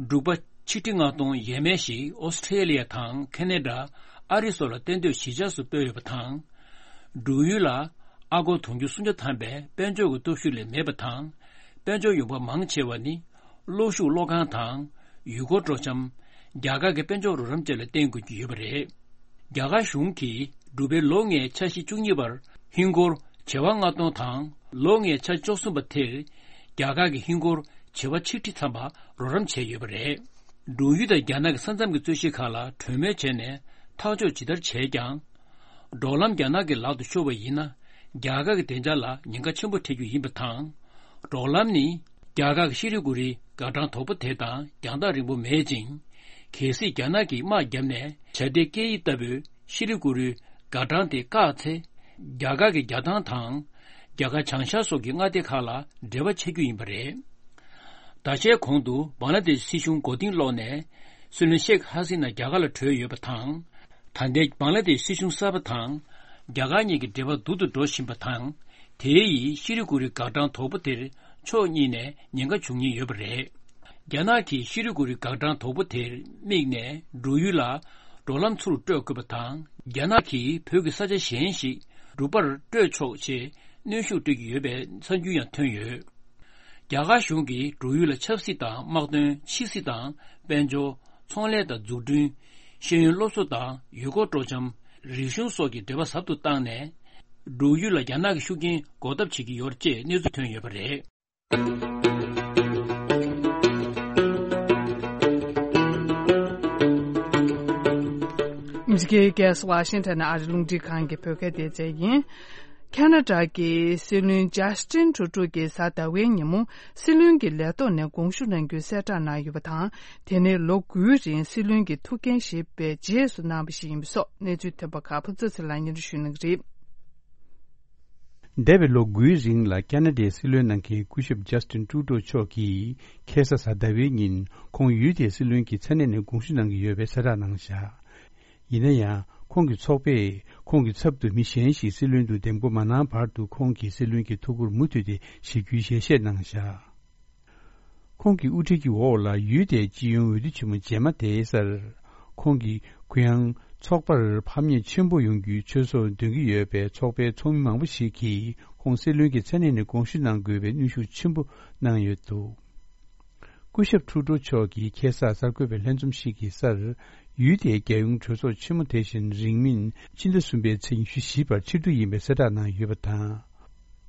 འབྲུག་པ་ཆིག་ཁྲི་ལྔ་སྟོང་ཡས་མས་ཤིག་ཨོ་སི་ཁྲེ་ལི་ཡ་དང་ཁེ་ན་ཌ། ཨ་རི་སོགས་ལ་གཏན་སྡོད་གཞིས་ཆགས་སུ་སྤོས་ཡོད་པ་དང་། འབྲུག་ཡུལ་ལ་ཨ་སྒོར་དུང་ཕྱུར་སུམ་བརྒྱ་ཐམ་པའི་དཔལ་འབྱོར་གྱི་སྟོབས་ཤུགས་ལས་མེད་པ་དང་། དཔལ་འབྱོར་ཡོང་འབབ་མང་ཆེ་བ་ནི། གློག་ཤུགས་གློག་ཁང་དང་། ཡུལ་སྐོར་སྤྲོ་འཆམ། རྒྱ་གར་གྱི་དཔལ་འབྱོར་རོགས་རམ་བཅས་ལ་བརྟེན་དགོས་ཀྱི་ཡོད་པ་རེད། རྒྱ་གར་གཞུང་གིས་འབྲུག་པའི་ལོ་ལྔའི་འཆར་གཞི་བཅུ་གཉིས་པར་ཧིན་སྒོར་བྱེ་བ་ལྔ་སྟོང་དང་། ལོ་ལྔའི་འཆར་གཞི་བཅུ་གསུམ་པ་དེར། རྒྱ་གར་གྱི་ཧིན་སྒོར་བྱེ་བ་ཆིག་ཁྲི་ཐམ་པ་རོགས་རམ་བྱས་ཡོད་པ་རེད། འབྲུག་ཡུལ་དང་རྒྱ་ནག་གི་ས་མཚམས་ཀྱི་རྩོད་གཞི་ཁག་ལ་གྲོས་མོལ་བྱས་ནས་ཐག་གཅོད་ཇི་ལྟར་བྱས་ཀྱང་། འབྲོག་ལམ་རྒྱ་ནག་གི་ལག་ཏུ་ཤོར་བ་ཡིན་ན། རྒྱ་གར་གྱི་བདེ་འཇགས་ལ་ཉེན་ཁ་ཆེན་པོ་འཕྲད་རྒྱུ་ཡིན་པ་དང་། འབྲོག་ལམ་ནི་རྒྱ་གར་གྱི་ཤྲི་གུ་རུའི་འགག་འཕྲང་དོག་པོ་དེ་དང་རྒྱང་ཐག་རིང་པོ་མེད་ཅིང་། གལ་སྲིད་རྒྱ་ནག་གིས་དམག་བརྒྱབ་ནས་བྱ་ལྡན་སྐད་ཡིག་ལྟ་བུའི་ཤྲི་གུ་རུའི་འགག་འཕྲང་དེ་བཀག་ཚེ། རྒྱ་གར་གྱི་རྒྱ་ཐང་དང་། རྒྱ་གར་བྱང་ཤར་སོགས་ཀྱི་མངའ་སྡེ་ཁག་ལ་འབྲེལ་བ་ཆད་རྒྱུ་ཡིན་པ་རེད། ཟླ་ཤས་གོང་དུ་བང་ལ་དེཤ་སྲིད་གཞུང་མགོ་རྟིང་སློག་ནས། སྲིད་བློན་ཤེག་ཧ་སི་ན་རྒྱ་གར་ལ་བྲོས་ཡོད་པ་དང་། ད་ལྟའི་བང་ལ་དེཤ་སྲིད་གཞུང་གསར་པ་དང་། རྒྱ་གར་གཉིས་ཀྱི་འབྲེལ་བ་སྡུག་ཏུ་འགྲོ་བཞིན་པ་དང་། དེ་ཡིས་ཤྲི་གུ་རུའི་འགག་འཕྲང་དོག་པོ་དེར་ཕྱོགས་གཉིས་ནས་ཉེན་ཁ་འབྱུང་ཉེན་ཡོད་པ་རེད། རྒྱ་ནག་གིས་ཤྲི་གུ་རུའི་འགག་འཕྲང་དོག་པོ་དེར་དམིགས་ནས། འབྲུག་ཡུལ་ལ་འབྲོག་ལམ་ཚུར་སྤྲོད་དགོས་པ་དང་། རྒྱ་ནག་གིས་བོད་ཀྱི་ས་ཆ་གཞན་ཞིག་འབྲུག་པར་སྤྲོད་ཆོག་ཅེས་གནོན་ཤུགས་སྤྲོད་ཀྱི་ཡོད་པའི་གསར་འགྱུར་ཡང་ཐོན་ཡོད། རྒྱ་གར་གཞུང་གིས་འབྲུག་ཡུལ་ལ་ཆབ་སྲིད་དང་དམག་དོན། ཕྱི་སྲིད་དང་དཔལ་འབྱོར། ཚོང་ལས་དང་འཛུགས་སྐྲུན། ཤེས་ཡོན་སློབ་གསོ་དང་ཡུལ་སྐོར་སྤྲོ་འཆམ། རིག་གཞུང་སོགས་ཀྱི་འབྲེལ་བ་ཟབ་ཏུ་བཏང་ནས། འབྲུག་ཡུལ་ལ་རྒྱ་ནག་གི་ཤུགས་རྐྱེན་འགོག་ཐབས་བྱེད་ཀྱི་ཡོད་ཅེས་གནས་ཚུལ་ཐོན་ཡོད་པ་རེད། ཨ་མི་རི་ཀའི་རྒྱལ་ས་ཝ་ཤིང་ཊོན་ནས་ཨ་རི་རླུང་འཕྲིན་ཁང་གི་བོད་སྐད་སྡེ་ཚན་ཡིན། ཁ་ན་ཌ་གི་སྲིད་བློན་ཇ་སི་ཊིན་ཊུ་ཌོ་གིས་གཟའ་ཟླ་བའི་ཉིན་མོ་སྲིད་བློན་གྱི་ལས་ཐོག་ནས་དགོངས་ཞུ་གནང་རྒྱུའི་གསལ་བསྒྲགས་གནང་ཡོད་པ་དང་། དེ་ནི་ལོ་དགུའི་རིང་སྲིད་བློན་གྱི་ཐུགས་འགན་བཞེས་པའི་རྗེས་སུ་གནང་བ་ཞིག་ཡིན་པ་སོགས་གནས་ཚུལ་ཐོན་པ་ཁག་ཕུན་ཚོགས་ཚེ་རིང་ལགས་སྙན་སྒྲོན་ཞུ་གནང་གི་རེད། འདས་པའི་ལོ་དགུའི་རིང་ལ་ཁ་ན་ཌའི་སྲིད་བློན་གནང་མཁན་སྐུ་ཞབས་ཇ་སི་ཊིན་ཊུ་ཌོ་མཆོག་གིས་ཁ་སང་གཟའ་ཟླ་བའི་ཉིན་ཁོང་ཡུལ་དེའི་སྲིད་བློན་གྱི་མཚན་གནས་ནས་དགོངས་ཞུ་གནང་གི་ཡོད་པའི་གསལ་བསྒྲགས་གནང་བཞག་ཡིན་ན་ཡང་། ཁོང་གི་ཚོགས་པས་ཁོང་གི་ཚབ་ཏུ་མི་གཞན་ཞིག་སྲིད་བློན་དུ་འདེམས་བསྐོ་མ་གནང་བར་དུ་ཁོང་གིས་སྲིད་བློན་གྱི་ཐུགས་ཁུར་མུ་མཐུད་དེ་བཞེས་རྒྱུའི་ཞལ་བཞེས་གནང་བཞག་ཁོང་གི་དབུ་ཁྲིད་ཀྱི་འོག་ལ་ཡུལ་དེའི་སྤྱི་ཡོངས་འོས་བསྡུ་ཆེན་མོ་རྗེས་མ་དེའི་སར། ཁོང་གིས་གུ་ཡངས་ཚོགས་པར་ཕམ་ཉེས་ཆེན་པོ་ཡོང་རྒྱུའི་ཆོས་སོགས་འདོན་གྱི་ཡོད་པས། ཚོགས་པའི་ཚོགས་མི་མང་པོ་ཞིག་གིས་ཁོང་སྲིད་བློན་གྱི་མཚན་གནས་ནས་དགོངས་ཞུ་གནང་དགོས་པའི་གནོན་ཤུགས་ཆེན་པོ་གནང་ཡོད་འདུག་སྐུ་ཞབས་ཁྲུ་ཏྲོ་མཆོག་གིས་ཁ་སང་གསར་འགོད་པའི་ལྷན་འཛོམས་ཤིག་གི་སར། ཡུལ་དེའི་རྒྱལ་ཡོངས་གྲོས་ཚོགས་ཆེན་མོ་དེ་བཞིན་རིང་མིན་ཕྱི་ཟླ་གསུམ་པའི་ཚེས་ཉི་ཤུ་བཞི་བར་ཕྱིར་བསྡུ་ཡིན་པའི་གསལ་བསྒྲགས་གནང་ཡོད་པ་དང་།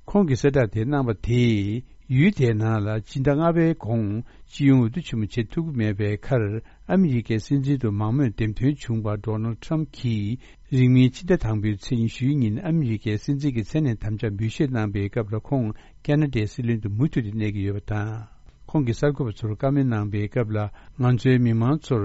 ཁོང་གིས་གསལ་བསྒྲགས་དེ་གནང་བ་དེས། ཡུལ་དེའི་ནང་ལ་སྤྱི་ཟླ་ལྔ་པའི་གོང་སྤྱི་ཡོངས་འོས་བསྡུ་ཆེན་མོ་བྱེད་ཐུབ་ཀྱི་མེད་པའི་ཁར། ཨ་མི་རི་ཀའི་སྲིད་འཛིན་དུ་མང་མོས་འདེམས་ཐོན་བྱུང་བ་ཌོ་ནལ་ཊམ་གྱིས། རིང་མིན་ཕྱི་ཟླ་དང་པོའི་ཚེས་ཉི་ཤུའི་ཉིན་ཨ་མི་རི་ཀའི་སྲིད་འཛིན་གྱི་མཚན་གནས་དམ་བཅའ་འབུལ་བཞེས་གནང་པའི་སྐབས་ལ། ཁོང་ཁ་ན་ཌའི་སྲིད་བློན་དུ་མུ་མཐུད་དེ་གནས་ཀྱི་ཡོད་པ་དང་། ཁོང་གིས་གསར་འགོད་པ་ཚོར་བཀའ་མོལ་གནང་པའི་སྐབས་ལ། ང་ཚོའི་མི་མང་ཚོར་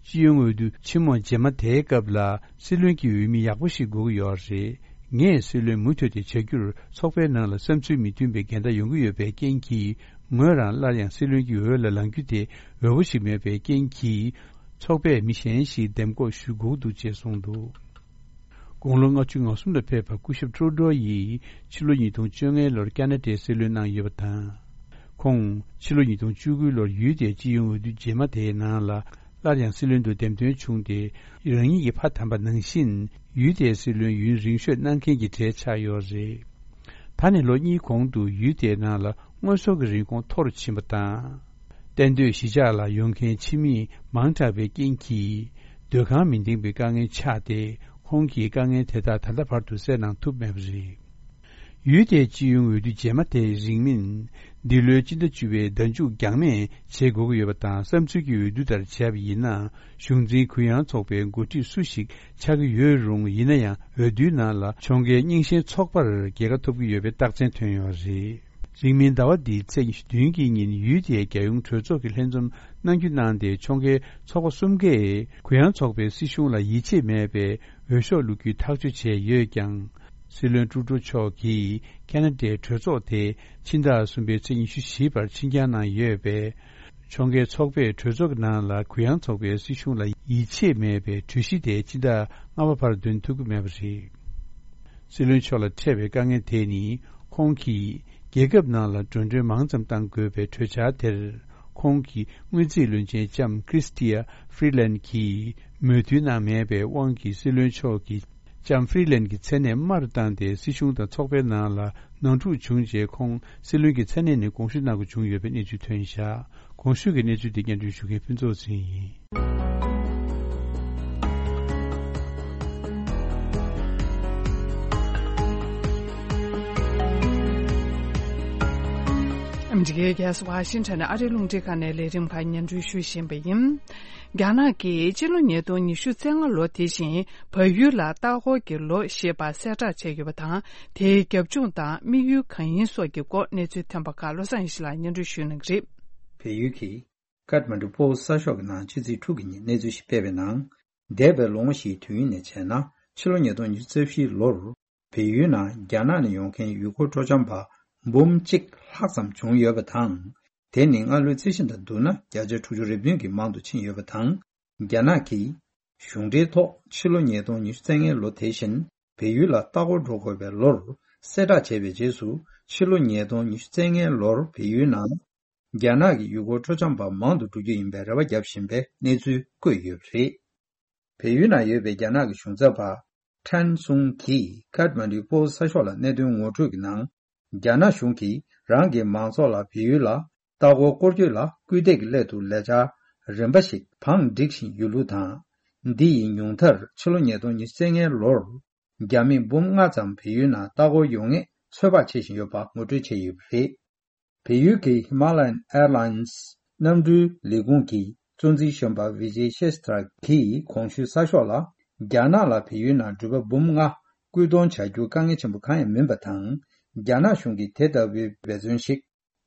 སྤྱི་ཡོངས་འོས་བསྡུ་ཆེན་མོ་རྗེས་མ་དེའི་སྐབས་ལ་སྲིད་བློན་གྱི་འོས་མི་ཡག་པོ་ཞིག་དགོས་ཀྱི་ཡོད་རེད། ངས་སྲིད་བློན་མུ་མཐུད་དེ་བྱ་རྒྱུར་ཚོགས་པའི་ནང་ལ་བསམ་ཚུལ་མི་མཐུན་པའི་འགལ་ཟླ་ཡོང་གི་ཡོད་པའི་རྐྱེན་གྱིས། ངོས་རང་སླར་ཡང་སྲིད་བློན་གྱི་འོས་ལ་ལངས་རྒྱུ་དེ་འོས་པོ་ཞིག་མེད་པའི་རྐྱེན་གྱིས། ཚོགས་པས་མི་གཞན་ཞིག་འདེམས་བསྐོ་ཞུ་དགོས་འདུག་ཅེས་གསུངས་འདུག་དགུང་ལོ་ལྔ་བཅུ་ང་གསུམ་ལ་ཕེབས་པ་སྐུ་ཞབས་ཀྲུ་ཌོ་ཡིས་ཕྱི་ལོ་ཉིས་སྟོང་བཅོ་ལྔའི་ལོར་ཁ་ན་ཌའི་སྲིད་བློན་གནང་ཡོད་པ་དང་། ཁོང་ཕྱི་ལོ་ཉིས་སྟོང་བཅུ་དགུའི་ལོར་ཡུལ་དེའི་སྤྱི་ཡོངས་འོས་བསྡུ་རྗེས་མ་དེའི་ནང་ལ་སླར་ཡང་སྲིད་བློན་དུ་འདེམས་ཐོན་བྱུང་སྟེ། རང་ཉིད་ཀྱི་ཕ་དམ་པ་ནང་བཞིན་ཡུལ་དེའི་སྲིད་བློན་ཡུན་རིང་ཤོས་གནང་མཁན་གྱི་གྲས་ཆགས་ཡོད་རེད། ད་ནི་ལོ་གཉིས་གོང་དུ་ཡུལ་དེའི་ནང་ལ་དངོས་ཟོག་གི་རིན་གོང་མཐོ་རུ་ཕྱིན་པ་དང་། གཏན་སྡོད་གཞིས་ཆགས་ལ་ཡོང་མཁན་ཕྱི་མི་མང་དྲགས་པའི་རྐྱེན་གྱིས། སྡོད་ཁང་མི་འདེང་པའི་དཀའ་ངལ་ཆགས་ཏེ། ཁོང་གིས་དཀའ་ངལ་དེ་དག་ད་ལྟ་བར་དུ་སེལ་གནང་ཐུབ་མེད་པ་རེད། ཡུལ་དེའི་སྤྱི་ཡོངས་འོས་བསྡུ་རྗེས་མ་དེའི་རིང་མིན། འདི་ལོའི་སྤྱི་ཟླ་བཅུ་པའི་ཟླ་མཇུག་འགྱངས་མེད་བྱེད་དགོས་ཀྱི་ཡོད་པ་དང་། བསམ་ཚུལ་གྱི་འོས་བསྡུ་ལྟར་བྱས་པ་ཡིན་ན། གཞུང་འཛིན་གུ་ཡངས་ཚོགས་པའི་འགོ་ཁྲིད་སུ་ཞིག་ཆགས་ཀྱི་ཡོད་རུང་། ཡིན་ན་ཡང་འོས་བསྡུའི་ནང་ལ་ཕྱོགས་འགལ་རྙིང་ཞེན་ཚོགས་པར་རྒྱལ་ཁ་ཐོབ་ཀྱི་ཡོད་པའི་རྟགས་མཚན་ཐོན་ཡོད་རེད། རིང་མིན་ཟླ་བ་འདིའི་ཚེས་ཉི་ཤུ་བདུན་གྱི་ཉིན་ཡུལ་དེའི་རྒྱལ་ཡོངས་གྲོས་ཚོགས་ཀྱི་ལྷན་འཛོམས་གནང་རྒྱུ་གནང་སྟེ། ཕྱོགས་འགལ་ཚོགས་པ་གསུམ་ཀས་གུ་ཡངས་ཚོགས་པའི་སྲིད་གཞུང་ལ་ཡིད་ཆེས་མེད་པའི་འོས་ཤོག་བླུག་རྒྱུའི་ཐག་གཅོད་བྱས་ཡོད་ཀྱང་། སྲིད་བློན་ཀྲུ་ཀྲུ་མཆོག་གིས་ཁ་ན་ཌའི་གྲོས་ཚོགས་དེ་ཕྱི་ཟླ་གསུམ་པའི་ཚེས་ཉི་ཤུ་བཞི་བར་ཕྱིར་འགྱངས་གནང་ཡོད་པས། ཕྱོགས་འགལ་ཚོགས་པས་གྲོས་ཚོགས་ཀྱི་ནང་ལ་གུ་ཡངས་ཚོགས་པའི་སྲིད་གཞུང་ལ་ཡིད་ཆེས་མེད་པའི་གྲོས་གཞི་དེ་ཕྱི་ཟླ་ལྔ་པ་བར་འདོན་ཐུབ་ཀྱི་མེད་པ་རེད། སྲིད་བློན་མཆོག་ལ་འཕྲད་པའི་དཀའ་ངལ་དེ་ནི། ཁོང་གིས་རྒྱལ་ཁབ་ནང་ལ་འགྲོ་གྲོན་མང་ཙམ་གཏང་དགོས་པའི་གྲོས་འཆར་དེར། ཁོང་གི་དངུལ་རྩིས་བློན་ཆེན་ལྕམ་ཀྲིས་ཏི་ཡ་ཧྥི་རི་ལན་གྱིས་མོས་མཐུན་གནང་མེད་པའི་དབང་གིས། སྲིད་བློན་མཆོག་གིས་ལྕམ་ཧྥི་རི་ལན་གྱི་མཚན་གནས་དམའ་རུ་བཏང་སྟེ། སྲིད་གཞུང་དང་ཚོགས་པའི་ནང་ལ་ནོར་འཁྲུག་བྱུང་རྗེས། ཁོང་སྲིད་བློན་གྱི་མཚན་གནས་ནས་དགོངས་ཞུ་གནང་དགོས་བྱུང་ཡོད་པའི་གནས་ཚུལ་ཐོན་བཞག་གོང་ཞུས་ཀྱི་གནས་ཚུལ་དེ་སྙན་སྒྲོན་ཞུ་མཁན་ཕུན་ཚོགས་ཟིན་ཡིན། ཨ་མི་རི་ཀའི་རྒྱལ་ས་ཝ་ཤིང་ཊོན་ནས་ཨ་རིའི་རླུང་འཕྲིན་ཁང་ནས་ལས་རིམ་ཁག་སྙན་སྒྲོན་ཞུ་བཞིན་པ་ཡིན། རྒྱ་ནག་གིས་སྤྱི་ལོ་ཉིས་སྟོང་ཉི་ཤུ་རྩ་ལྔ་ལོ་དེ་བཞིན་བལ་ཡུལ་ལ་ལྟ་སྐོར་གྱི་ལོ་ཞེས་པ་གསལ་བསྒྲགས་བྱས་ཡོད་པ་དང་། དེའི་རྒྱབ་ལྗོངས་དང་དམིགས་ཡུལ་གང་ཡིན་སོགས་ཀྱི་སྐོར་གནས་ཚུལ་ཐོན་པ་ཁག་བློ་བཟང་ཡེ་ཤེས་ལགས་སྙན་སྒྲོན་ཞུ་གནང་གི་རེད། བལ་ཡུལ་གྱི་ཀཏ་མན་ཌུ་པོ་སི་གསར་ཤོག་གི་ནང་ཕྱི་ཚེས་དྲུག་གི་ཉིན་གནས་ཚུལ་ཞིག་སྤེལ་བའི་ནང་། འདས་པའི་ལོ་ངོ་བཞིའི་དུས་ཡུན་ནས་བྱས་ན། ཕྱི་ལོ་ཉིས་སྟོང་ཉི་ཤུ་རྩ་བཞིའི་ལོར་བལ་ཡུལ་ནང་རྒྱ་ནག་ནས་ཡོང་མཁན་ཡུལ་སྐོར་སྤྲོ་འཆམ་པ་འབུམ་གཅིག་ལྷག་ཙམ་བྱུང་ཡོད་པ་དང་། དེ་ནི་སྔ་ལོའི་རྩིས་གཞི་དང་བསྡུར་ན་བརྒྱ་ཆ་དྲུག་ཅུ་རེ་བདུན་གྱིས་མང་དུ་ཕྱིན་ཡོད་པ་དང་། རྒྱ་ནག་གིས་གཞུང་འབྲེལ་ཐོག་ཕྱི་ལོ་ཉིས་སྟོང་ཉི་ཤུ་རྩ་ལྔའི་ལོ་དེ་བཞིན་བལ་ཡུལ་ལ་ལྟ་སྐོར་འགྲོ་དགོས་པའི་ལོར་གསལ་བསྒྲགས་བྱས་པའི་རྗེས་སུ། ཕྱི་ལོ་ཉིས་སྟོང་ཉི་ཤུ་རྩ་ལྔའི་ལོར་བལ་ཡུལ་ནང་རྒྱ་ནག་གི་ཡུལ་སྐོར་སྤྲོ་འཆམ་པ་མང་དུ་འགྲོ་རྒྱུ་ཡིན་པའི་རེ་བ་བརྒྱབ་བཞིན་པའི་གནས་ཚུལ་བཀོད་ཡོད་པ་རེད། བལ་ཡུལ་ནང་ཡོད་པའི་རྒྱ་ནག་གི་གཞུང་ཚབ་པ་ཁྲན་སུང་གིས་ཀཏ་མན་ཌུའི་པོ་སི་གསར་ཤོག་ལ་གནད་དོན་ངོ་སྤྲོད་ཀྱི་ནང་། རྒྱ་ནག་གཞུང་གིས་རང་གི་མང་ཚོགས་ལ་བལ་ཡུལ་ལ་ལྟ་སྐོར་སྐོར་སྐྱོད་ལ་སྐུལ་འདེད་ཀྱི་སླད་དུ་ལས་འཆར་རིམ་པ་ཞིག་བང་བསྒྲིགས་བཞིན་ཡོད་ལུགས་དང་། འདི་ཡི་ཉུང་མཐར་ཕྱི་ལོ་ཉིས་སྟོང་ཉི་ཤུ་རྩ་ལྔའི་ལོར་རྒྱ་མི་འབུམ་ལྔ་ཙམ་བལ་ཡུལ་ནང་ལྟ་སྐོར་ཡོང་ངེས་ཚོད་དཔག་བྱེད་བཞིན་ཡོད་པ་ངོ་སྤྲོད་བྱས་ཡོད་པ་རེད། བལ་ཡུལ་གྱི་ཧི་མ་ལ་ཡན་ཨེར་ལའིན་སི་གནམ་གྲུའི་ལས་ཁུངས་ཀྱི་གཙོ་འཛིན་གཞོན་པ་ཝི་ཇེ་ཤེས་ཐྲ་གིས་གོང་ཞུས་གསར་ཤོག་ལ། རྒྱ་ནག་ལ་བལ་ཡུལ་ནང་འགྲུལ་པ་འབུམ་ལྔ་སྐུལ་གཏོང་བྱ་རྒྱུ་དཀའ་ངལ་ཆེན་པོ་གང་ཡང་མིན་པ་དང་། རྒྱ་ནག་གཞུང་གིས་དེ་ལྟ་བུའི་འབད་བརྩོན་ཞིག་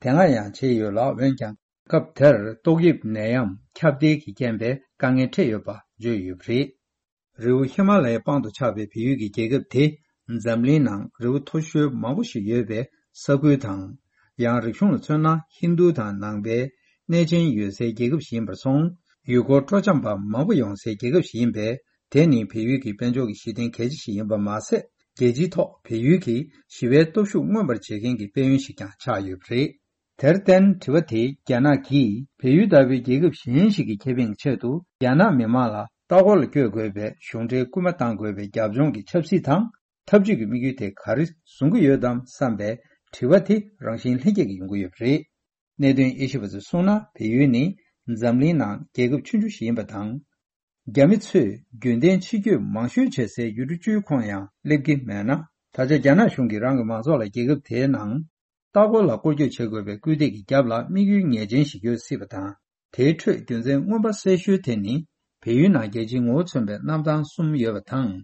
དེ་སྔ་ཡང་བྱས་ཡོད་ལ། འོན་ཀྱང་། སྐབས་དེར་ཏོག་དབྱིབས་ནད་ཡམས་ཁྱབ་གདལ་གྱི་རྐྱེན་པས་དཀའ་ངལ་འཕྲད་ཡོད་པ་བརྗོད་ཡོད་པ་རེད། རི་བོ་ཧི་མ་ལ་ཡའི་དཔངས་དུ་ཆགས་པའི་བལ་ཡུལ་གྱི་རྒྱལ་ཁབ་དེ། འཛམ་གླིང་ནང་རི་བོ་མཐོ་ཤོས་མང་པོ་ཞིག་ཡོད་པའི་ས་ཁུལ་དང་། ཡང་རིག་གཞུང་ལ་མཚོན་ན་ཧིན་རྡུ་དང་ནང་པའི་གནས་ཆེན་ཡོད་སའི་རྒྱལ་ཁབ་ཞིག་ཡིན་པར་སོང་། ཡུལ་སྐོར་སྤྲོ་འཆམ་པ་མང་པོ་ཡོང་སའི་རྒྱལ་ཁབ་ཞིག་ཡིན་པས། དེ་ནི་བལ་ཡུལ་གྱི་དཔལ་འབྱོར་གྱི་གཞི་རྟེན་གལ་ཆེ་ཞིག་ཡིན་པ་མ་ཟད། རྒྱལ་སྤྱིའི་ཐོག་བལ་ཡུལ་གྱི་ཞི་བའི་སྟོབས་ཤུགས་མངོན་པར་བྱེད་མཁན་གྱི་དཔལ་ཡོན་ཞིག་ཀྱང་ཆགས་ཡོད་པ་རེད། དེར་བརྟེན། དྲི་བ་དེ་རྒྱ་ནག་གིས་བལ་ཡུལ་ལྟ་བུའི་རྒྱལ་ཁབ་གཞན་ཞིག་གི་ཁེ་ཕན་གྱི་ཆེད་དུ། རྒྱ་ནག་མི་མང་ལ་ལྟ་སྐོར་ལ་བསྐྱོད་དགོས་པའི་གཞུང་འབྲེལ་སྐུལ་མ་གཏང་དགོས་པའི་རྒྱབ་ལྗོངས་ཀྱི་ཆབ་སྲིད་དང་། ཐབས་ཇུས་ཀྱི་དམིགས་ཡུལ་དེ་ག་རེ་བཟུང་གི་ཡོད་དམ་བསམ་པའི་དྲི་བ་དེ་རང་བཞིན་ལྷན་སྐྱེས་ཀྱིས་ཡོང་གི་ཡོད་པ་རེད། གནད་དོན་དབྱེ་ཞིབ་པ་ཚོས་གསུངས་ན། བལ་ཡུལ་ནི་འཛམ་གླིང་ནང་རྒྱལ་ཁབ་ཆུང་ཆུང་ཞིག་ཡིན་པ་དང་། རྒྱ་མི་ཚོས་རྒྱུན་ལྡན་ཕྱི་སྐྱོད་མང་ཤོས་བྱེད་སའི་ཡུལ་གྲུ་བཅུའི་ཁོངས་ཡང་སླེབས་ཀྱི་མེད་ན། ད་ཆ་རྒྱ་ནག་གཞུང་གིས་རང་གི་མང་ཚོགས་ལ་རྒྱལ་ཁབ་དེའི་ནང་ལྟ་སྐོར་ལ་སྐོར་སྐྱོད་བྱེད་དགོས་པའི་སྐུལ་འདེད་ཀྱི་རྒྱབ་ལ་དམིགས་ཡུལ་ངེས་ཅན་ཞིག་ཡོད་སྲིད་པ་དང་། དེའི་ཁྲོད་རྒྱུ་མཚན་མངོན་པ་གསལ་ཤོས་དེ་ནི། བལ་ཡུལ་ནང་རྒྱལ་སྤྱིའི་ངོ་བོ་མཚོན་པའི་གནམ་ཐང་གསུམ་ཡོད་པ་དང་།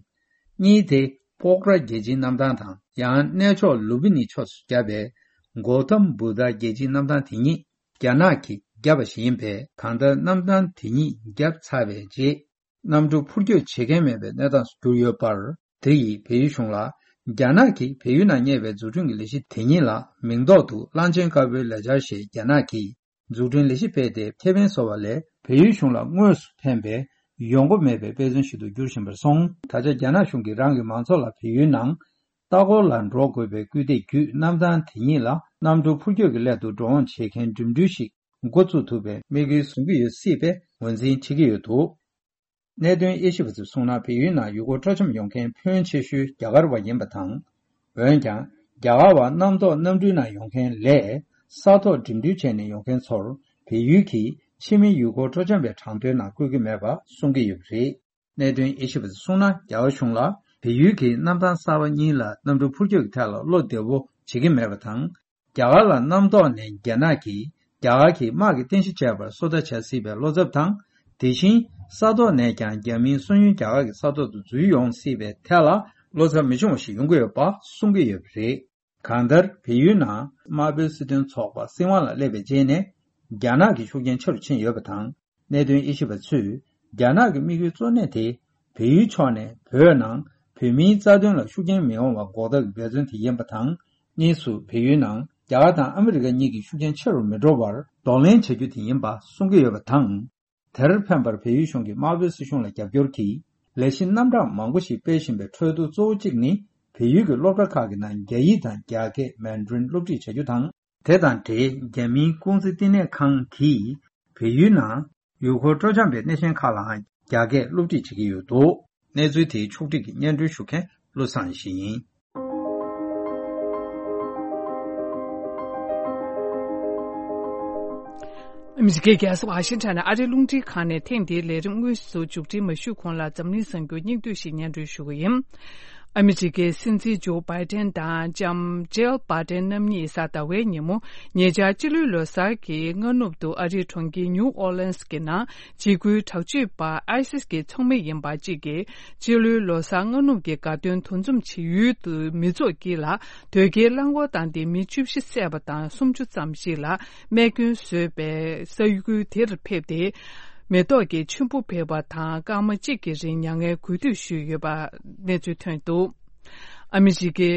གཉིས་དེ་པོག་ར་རྒྱལ་སྤྱིའི་གནམ་ཐང་དང་། ཡང་གནས་མཆོག་ལུམ་བི་ནི་ཕྱོགས་སུ་བརྒྱབ་པའི་གོ་ཐམ་བུདྡྷ་རྒྱལ་སྤྱིའི་གནམ་ཐང་དེ་ཉིད་རྒྱ་ནག་གིས་བརྒྱབ་པ་ཞིག་ཡིན་པས། གང་ལྟར་གནམ་ཐང་དེ་ཉིད་བརྒྱབ་ཚར་བའི་རྗེས། གནམ་གྲུ་འཕུར་སྐྱོད་བྱེད་མཁན་མེད་པའི་གནས་སྟངས་སུ་གྱུར་ཡོད་པར། དེ་ཡིས་བལ་ཡུལ་གཞུང་ལ་ རྒྱ་ནག་གིས་བལ་ཡུལ་ནང་གཉེར་བའི་འཛུགས་སྐྲུན་གྱི་ལས་གཞི་དེ་ཉིད་ལ་མིང་འདོགས་དུ་གླང་ཆེན་དཀར་པོའི་ལས་འཆར་ཞེས་རྒྱ་ནག་གིས་འཛུགས་སྐྲུན་ལས་གཞི་སྤེལ་ཏེ་ཁེ་ཕན་བཟོ་བ་ལས་བལ་ཡུལ་གཞུང་ལ་དངོས་སུ་ཕན་པའི་ཡོང་སྒོ་མེད་པའི་དཔེ་མཚོན་ཞིག་ཏུ་འགྱུར་བཞིན་པར་སོང་། ད་ཆ་རྒྱ་ནག་གཞུང་གིས་རང་གི་མང་ཚོགས་ལ་བལ་ཡུལ་ནང་ལྟ་སྐོར་ལ་འགྲོ་དགོས་པའི་སྐུལ་འདེད་བརྒྱུད། གནམ་ཐང་དེ་ཉིད་ལ་གནམ་གྲུ་འཕུར་སྐྱོད་ཀྱི་སླད་དུ་འགྲོ་འོང་བྱེད་མཁན་འགྲིམ་འགྲུལ་ཞིག་འགོ་བཙུགས་ཐུབ་པའི་དམིགས་ཡུལ་བཟུང་གི་ཡོད་སྲིད་པའི་ངོས་འཛིན་བྱེད་ཀྱི་ཡོད་འདུག། གནད་དོན་དབྱེ་ཞིབ་པ་ཚོས་གསུངས་ན། བལ་ཡུལ་ནང་ཡུལ་སྐོར་སྤྲོ་འཆམ་ཡོང་མཁན་ཕོན་ཆེ་ཤོས་རྒྱ་གར་བ་ཡིན་པ་དང་། འོན་ཀྱང་རྒྱ་གར་བ་གནམ་ཐོག་གནམ་གྲུའི་ནང་ཡོང་མཁན་ལས་ས་ཐོག་འགྲིམ་འགྲུལ་བྱས་ནས་ཡོང་མཁན་ཚོར་བལ་ཡུལ་གྱིས་ཕྱི་མི་ཡུལ་སྐོར་སྤྲོ་འཆམ་པའི་གྲངས་ཐོའི་ནང་བཀོད་ཀྱི་མེད་པ་གསུང་གི་ཡོད་པ་རེད། གནད་དོན་དབྱེ་ཞིབ་པ་ཚོས་གསུངས་ན། རྒྱ་གར་གཞུང་ལ་བལ་ཡུལ་གྱིས་གནམ་ཐང་གསར་པ་གཉིས་ལ་གནམ་གྲུ་འཕུར་སྐྱོད་ཀྱི་ཐད་ལ་བློ་བདེ་བོ་བྱེད་ཀྱི་མེད་པ་དང་། རྒྱ་གར་ལ་གནམ་ཐོག་ནས་རྒྱ་ནག་གིས་རྒྱ་གར་གྱི་དམག་གི་རྟེན་གཞི་བྱས་པར་སོ་ལྟ་བྱ་སྲིད་པའི་བློ་འཚབ་དང་། དེ་བཞིན་ས་ཐོག་ནས་ཀྱང་རྒྱ་མིའི་སོང་ཡུལ་རྒྱ་གར་གྱི་ས་ཐོག་ཏུ་འཛུལ་ཡོང་སྲིད་པའི་ཐད་ལ་བློ་འཚབ་མི་ཆུང་བ་ཞིག་ཡོང་གི་ཡོད་པ་གསུང་གི་ཡོད་པ་རེད། གང་ལྟར་བལ་ཡུལ་ནང་དམར་པོའི་སྲིད་དོན་ཚོགས་པ་སྲིད་དབང་ལ་སླེབས་པའི་རྗེས་ནས་རྒྱ་ནག་གི་ཤུགས་རྐྱེན་ཆེ་རུ་ཕྱིན་ཡོད་པ་དང་། གནད་དོན་དབྱེ་ཞིབ་པ་ཚོས་རྒྱ་ནག་གི་དམིགས་ཡུལ་གཙོ་གནད་དེ་བལ་ཡུལ་ཕྱོགས་ནས་བོད་ནང་བོད་མིའི་རྩ་དོན་ལ་ཤུགས་རྐྱེན་མི་ཡོང་བ་འགོག་ཐབས་ཀྱི་འབད་བརྩོན་དེ་ཡིན་པ་དང་། གཉིས་སུ་བལ་ཡུལ་ནང་རྒྱ་གར་དང་ཨ་མི་རི་ཀ་གཉིས་ཀྱི་ཤུགས་རྐྱེན་ཆེ་རུ་མི་འགྲོ་བར་གདོང་ལེན་བྱ་རྒྱུ་དེ་ཡིན་པ་གསུང་གི་ཡོད་པ་དང་། དེར་ཕན་པར་བལ་ཡུལ་གཞུང་གིས་དམར་པོའི་སྲིད་གཞུང་ལ་རྒྱབ་སྐྱོར་གྱིས་ལས་གཞི་རྣམ་གྲངས་མང་པོ་ཞིག་སྤེལ་བཞིན་པའི་ཁྲོད་དུ་གཙོ་བོ་གཅིག་ནི་བལ་ཡུལ་གྱི་སློབ་གྲྭ་ཁག་གི་ནང་རྒྱ་ཡིག་དང་རྒྱ་སྐད་མན་ཌ་རིན་སློབ་ཁྲིད་བྱ་རྒྱུ་དང་། དེ་དང་འབྲེལ་རྒྱ་མིའི་ཀུང་ཟི་བསྟི་གནས་ཁང་གིས་བལ་ཡུལ་ནང་ཡུལ་སྐོར་སྤྲོ་འཆམ་པའི་སྣེ་ཤན་ཁག་ལའང་རྒྱ་སྐད་སློབ་ཁྲིད་བྱེད་ཀྱི་ཡོད་འདུག། གནས་ཚུལ་དེའི་ཕྱོགས་སྒྲིག་གིས་སྙན་སྒྲོན་ཞུ་མཁན་བློ་བཟང་ཡེ་ཤེས་ཡིན། ཨ་མི་རི་ཀའི་རྒྱལ་ས་ཝ་ཤིང་ཊོན་ནས་ཨ་རིའི་རླུང་འཕྲིན་ཁང་ནས་ཐེངས་འདིའི་ལས་རིམ་དངོས་སུ་མཇུག་སྒྲིལ་མ་ཞུས་གོང་ལ་འཛམ་གླིང་གསར་འགྱུར་སྙིང་བསྡུས་ཤིག་སྙན་སྒྲོན་ཞུ་གི་ཡིན། ཨ་མི་རི་ཀའི་སྲིད་འཛིན་ཇོ་བྷའི་ཏན་དང་ལྕམ་ཇིལ་བྷའི་ཏན་རྣམ་གཉིས་གཟའ་ཟླ་བའི་ཉིན་མོ་ཉེ་ཆར་སྤྱི་ལོའི་ལོ་གསར་གྱི་སྔ་ནུབ་ཏུ་ཨ་རིའི་གྲོང་ཁྱེར་ནིའུ་ཨོ་ལེན་སི་གི་ནང་འཇིགས་སྐུལ་དྲག་སྤྱོད་པ་ཨའི་སིས་ཀྱི་ཚོགས་མི་ཡིན་པ་གཅིག་གིས་སྤྱི་ལོའི་ལོ་གསར་སྔ་ནུབ་ཀྱི་དགའ་སྟོན་འདུ་འཛོམས་བྱེད་ཡུལ་དུ་མི་ཚོགས་དཀྱིལ་ལ་དོས་སྐྱེལ་རླངས་འཁོར་བཏང་སྟེ་མི་བཅུ་བཞི་བསད་པ་དང་སུམ་ཅུ་ཙམ་ཞིག་ལ་རྨས་སྐྱོན་བཟོས་པའི་ས་ཁུལ་དེར་ཕེབས་ཏེ། མེ་ཏོག་གི་མཆོད་འབུལ་ཕུལ་བ་དང་སྐར་མ་གཅིག་གི་རིང་མྱ་ངན་གུས་འདུད་ཞུས་ཡོད་པ་གནས་ཚུལ་ཐོན་འདུག། ཨ་མི་རི་ཀའི་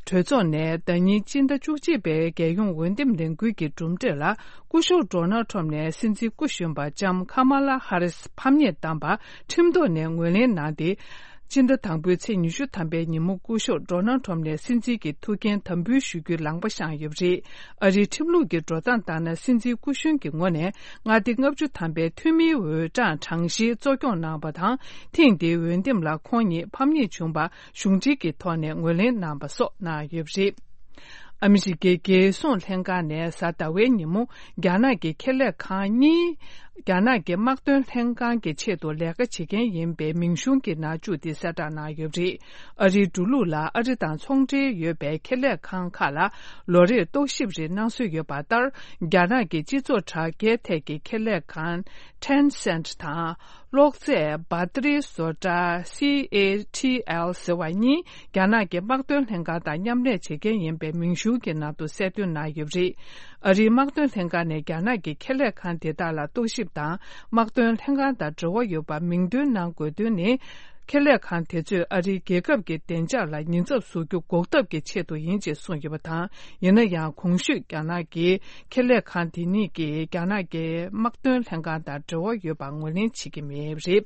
གྲོས་ཚོགས་ནས་ཟླ་ཉིན་སྤྱི་ཟླ་བཅུ་གཅིག་པའི་རྒྱལ་ཡོངས་འོས་འདེམས་ལས་འགུལ་གྱི་གྲུབ་འབྲས་ལ་སྐུ་ཞབས་ཌོ་ནལ་ཁྲོམ་ནས་སྲིད་འཛིན་སྐུ་གཞོན་པ་ལྕམ་ཁ་མ་ལ་ཧ་རིས་ཕམ་ཉེས་བཏང་པ་ཁྲིམས་ཐོག་ནས་ངོས་ལེན་གནང་སྟེ། སྤྱི་ཟླ་དང་པོའི་ཚེས་ཉི་ཤུ་ཐམ་པའི་ཉིན་མོ་སྐུ་ཞབས་ཌོ་ནལ་ཁྲོམ་ནས་སྲིད་འཛིན་གྱི་ཐུགས་འགན་དམ་འབུལ་ཞུ་རྒྱུའི་ལངས་པ་བཤངས་ཡོད་པ་རེད། ཨ་རིའི་ཁྲིམས་ལུགས་ཀྱི་འགྲོ་སྟངས་ལྟར་ན་སྲིད་འཛིན་སྐུ་གཞོན་གྱི་ངོས་ནས་མངའ་སྡེ་ལྔ་བཅུ་ཐམ་པའི་འཐུས་མིའི་འོས་གྲངས་གྲངས་བཤེར་གཙོ་སྐྱོང་གནང་བ་དང་། ཐེངས་འདིའི་འོས་འདེམས་ལ་ཁོང་ཉིད་ཕམ་ཉེས་བྱུང་བ་གཞུང་འབྲེལ་གྱི་ཐོག་ནས་ངོས་ལེན་གནང་བ་སོགས་གནང་ཡོད་པ་རེད། ཨ་མི་རི་ཀའི་རྒྱལ་སྲུང་ལྷན་ཁང་ནས་གཟའ་ཟླ་བའི་ཉིན་མོ་རྒྱ་ནག་གི་ཁེ་ལས་ཁང་གཉིས། རྒྱ་ནག་གི་དམག་དོན་ལྷན་ཁང་གི་ཆེད་དུ་ལས་ཀ་བྱེད་མཁན་ཡིན་པའི་མིང་གཞུང་གི་ནང་བཅུག་སྟེ་གསལ་བསྒྲགས་གནང་ཡོད་པ་རེད། ཨ་རིའི་འགྲོ་ལུགས་ལ་ཨ་རི་དང་ཚོང་འབྲེལ་ཡོད་པའི་ཁེ་ལས་ཁང་ཁག་ལ་ལོ་རེར་རྟོག་ཞིབ་རེ་གནང་སྲོལ་ཡོད་པ་ལྟར། རྒྱ་ནག་གི་སྤྱི་ཚོགས་དྲ་རྒྱའི་ཐད་ཀྱི་ཁེ་ལས་ཁང་Tencent་དང་། གློག་རྫས་བ་ཏི་རིའི་བཟོ་གྲྭ་C A T L་ཟེར་བ་གཉིས་རྒྱ་ནག་གི་དམག་དོན་ལྷན་ཁང་དང་མཉམ་ལས་བྱེད་མཁན་ཡིན་པའི་མིང་གཞུང་གི་ནང་དུ་གསལ་སྟོན་གནང་ཡོད་པ་རེད། ཨ་རིའི་དམག་དོན་ལྷན་ཁང་ནས་རྒྱ་ནག་གི་ཁེ་ལས་ཁང་དེ་དག་ལ་རྟོག་ཞིབ་དང་དམག་དོན་ལྷན་ཁང་དང་འབྲེལ་བ་ཡོད་པ་མིང་འདོན་གནང་དགོས་དོན་ནི། ཁེ་ལས་ཁང་དེ་ཚོས་ཨ་རིའི་རྒྱལ་ཁབ་ཀྱི་བདེ་འཇགས་ལ་ཉེན་ཚབས་བཟོ་རྒྱུ་འགོག་ཐབས་ཀྱི་ཆེད་དུ་ཡིན་ཅེས་གསུངས་ཡོད་པ་དང་། ཡིན་ན་ཡང་གོང་ཞུས་རྒྱ་ནག་གི་ཁེ་ལས་ཁང་དེ་གཉིས་ཀྱིས་རྒྱ་ནག་གི་དམག་དོན་ལྷན་ཁང་དང་འབྲེལ་བ་ཡོད་པ་ངོས་ལེན་བྱེད་ཀྱི་མེད་པ་རེད།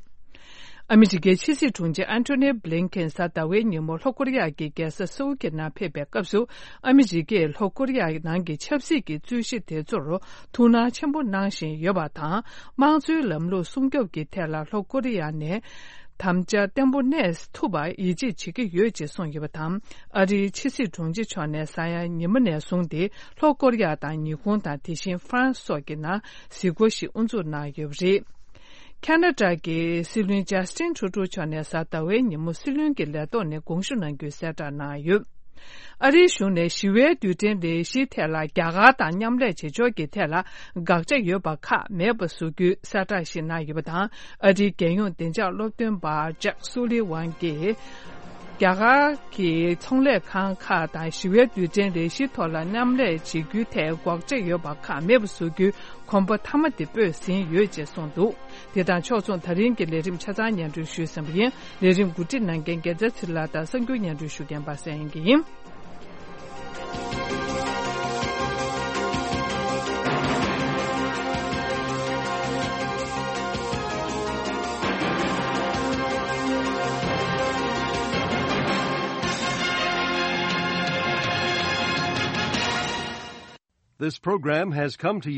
ཨ་མི་རི་ཀའི་ཕྱི་སྲིད་དྲུང་ཆེ་ཨན་ཐོ་ནི་བྷི་ལིན་ཁེན་གཟའ་ཟླ་བའི་ཉིན་མོ་ལྷོ་ཀོ་རི་ཡ་གི་རྒྱལ་ས་སེའུལ་གྱི་ནང་ཕེབས་པའི་སྐབས་སུ། ཨ་མི་རི་ཀས་ལྷོ་ཀོ་རི་ཡ་ནང་གི་ཆབ་སྲིད་ཀྱི་རྩོད་གཞི་དེ་ཚོར་ཐུགས་སྣང་ཆེན་པོ་གནང་བཞིན་ཡོད་པ་དང་། དམངས་གཙོའི་ལམ་ལུགས་སྲུང་སྐྱོབ་ཀྱི་ཐད་ལ་ལྷོ་ཀོ་རི་ཡ་ནས་དམ་བཅའ་བརྟན་པོ་གནས་ཐུབ་པར་ཡིད་ཆེས་བྱེད་ཀྱི་ཡོད་ཅེས་གསུངས་ཡོད་པ་དང་། ཨ་རིའི་ཕྱི་སྲིད་དྲུང་ཆེ་མཆོག་ནས་གཟའ་ཡང་ཉི་མ་ནས་བཟུང་སྟེ་ལྷོ་ཀོ་རི་ཡ་དང་ཉི་ཧོང་དང་དེ་བཞིན་ཧྥ་རན་སི་སོགས་ཀྱི་ནང་གཟིགས་སྐོར་ཞིག་དབུ་འཛུགས་གནང་ཡོད་པ་རེད། ཁ་ན་ཌ་གི་སྲིད་བློན་ཇ་སི་ཊིན་ཁྲུ་ཌོ་མཆོག་ནས་གཟའ་ཟླ་བའི་ཉིན་མོ་སྲིད་བློན་གྱི་ལས་ཐོག་ནས་དགོངས་ཞུ་གནང་རྒྱུའི་གསལ་བསྒྲགས་གནང་ཡོད། ཨ་རིའི་གཞུང་ནས་ཞི་བའི་རྡུལ་ཕྲན་ལས་གཞིའི་ཐད་ལ་རྒྱ་གར་དང་མཉམ་ལས་བྱེད་ཕྱོགས་ཀྱི་ཐད་ལ་དགག་བྱ་ཡོད་པ་ཁག་མེད་པ་བཟོ་རྒྱུའི་གསལ་བསྒྲགས་ཤིག་གནང་ཡོད་པ་དང་། ཨ་རིའི་རྒྱལ་ཡོངས་བདེ་འཇགས་སློབ་སྟོན་པ་ཇེཀ་སུ་ལི་ཝན་གྱིས། རྒྱ་གར་གྱི་ཚོང་ལས་ཁང་ཁག་དང་ཞི་བའི་རྡུལ་ཕྲན་ལས་གཞིའི་ཐོག་ལ་མཉམ་ལས་བྱེད་རྒྱུའི་ཐད་འགོག་བྱེད་ཡོད་པ་ཁག་མེད་པ་བཟོ་རྒྱུའི་གོམ་པ་མཐའ་མ་དེ་སྤོས་ཟིན་ཡོད་ཅེས་གསུངས་འདུག། དེ་དང་ཕྱོགས་མཚུངས། ད་རིང་གི་ལས་རིམ་ཆ་ཚང་སྙན་སྒྲོན་ཞུས་ཟིན་པ་ཡིན། ལས་རིམ་གོ་སྒྲིག་གནང་མཁན་རྒྱལ་མཚན་ཚེ་རིང་ལགས་དང་གསར་འགྱུར་སྙན་སྒྲོན་ཞུ་མཁན་པ་སངས་དབྱངས་སྐྱིད་ཡིན། This program has come to you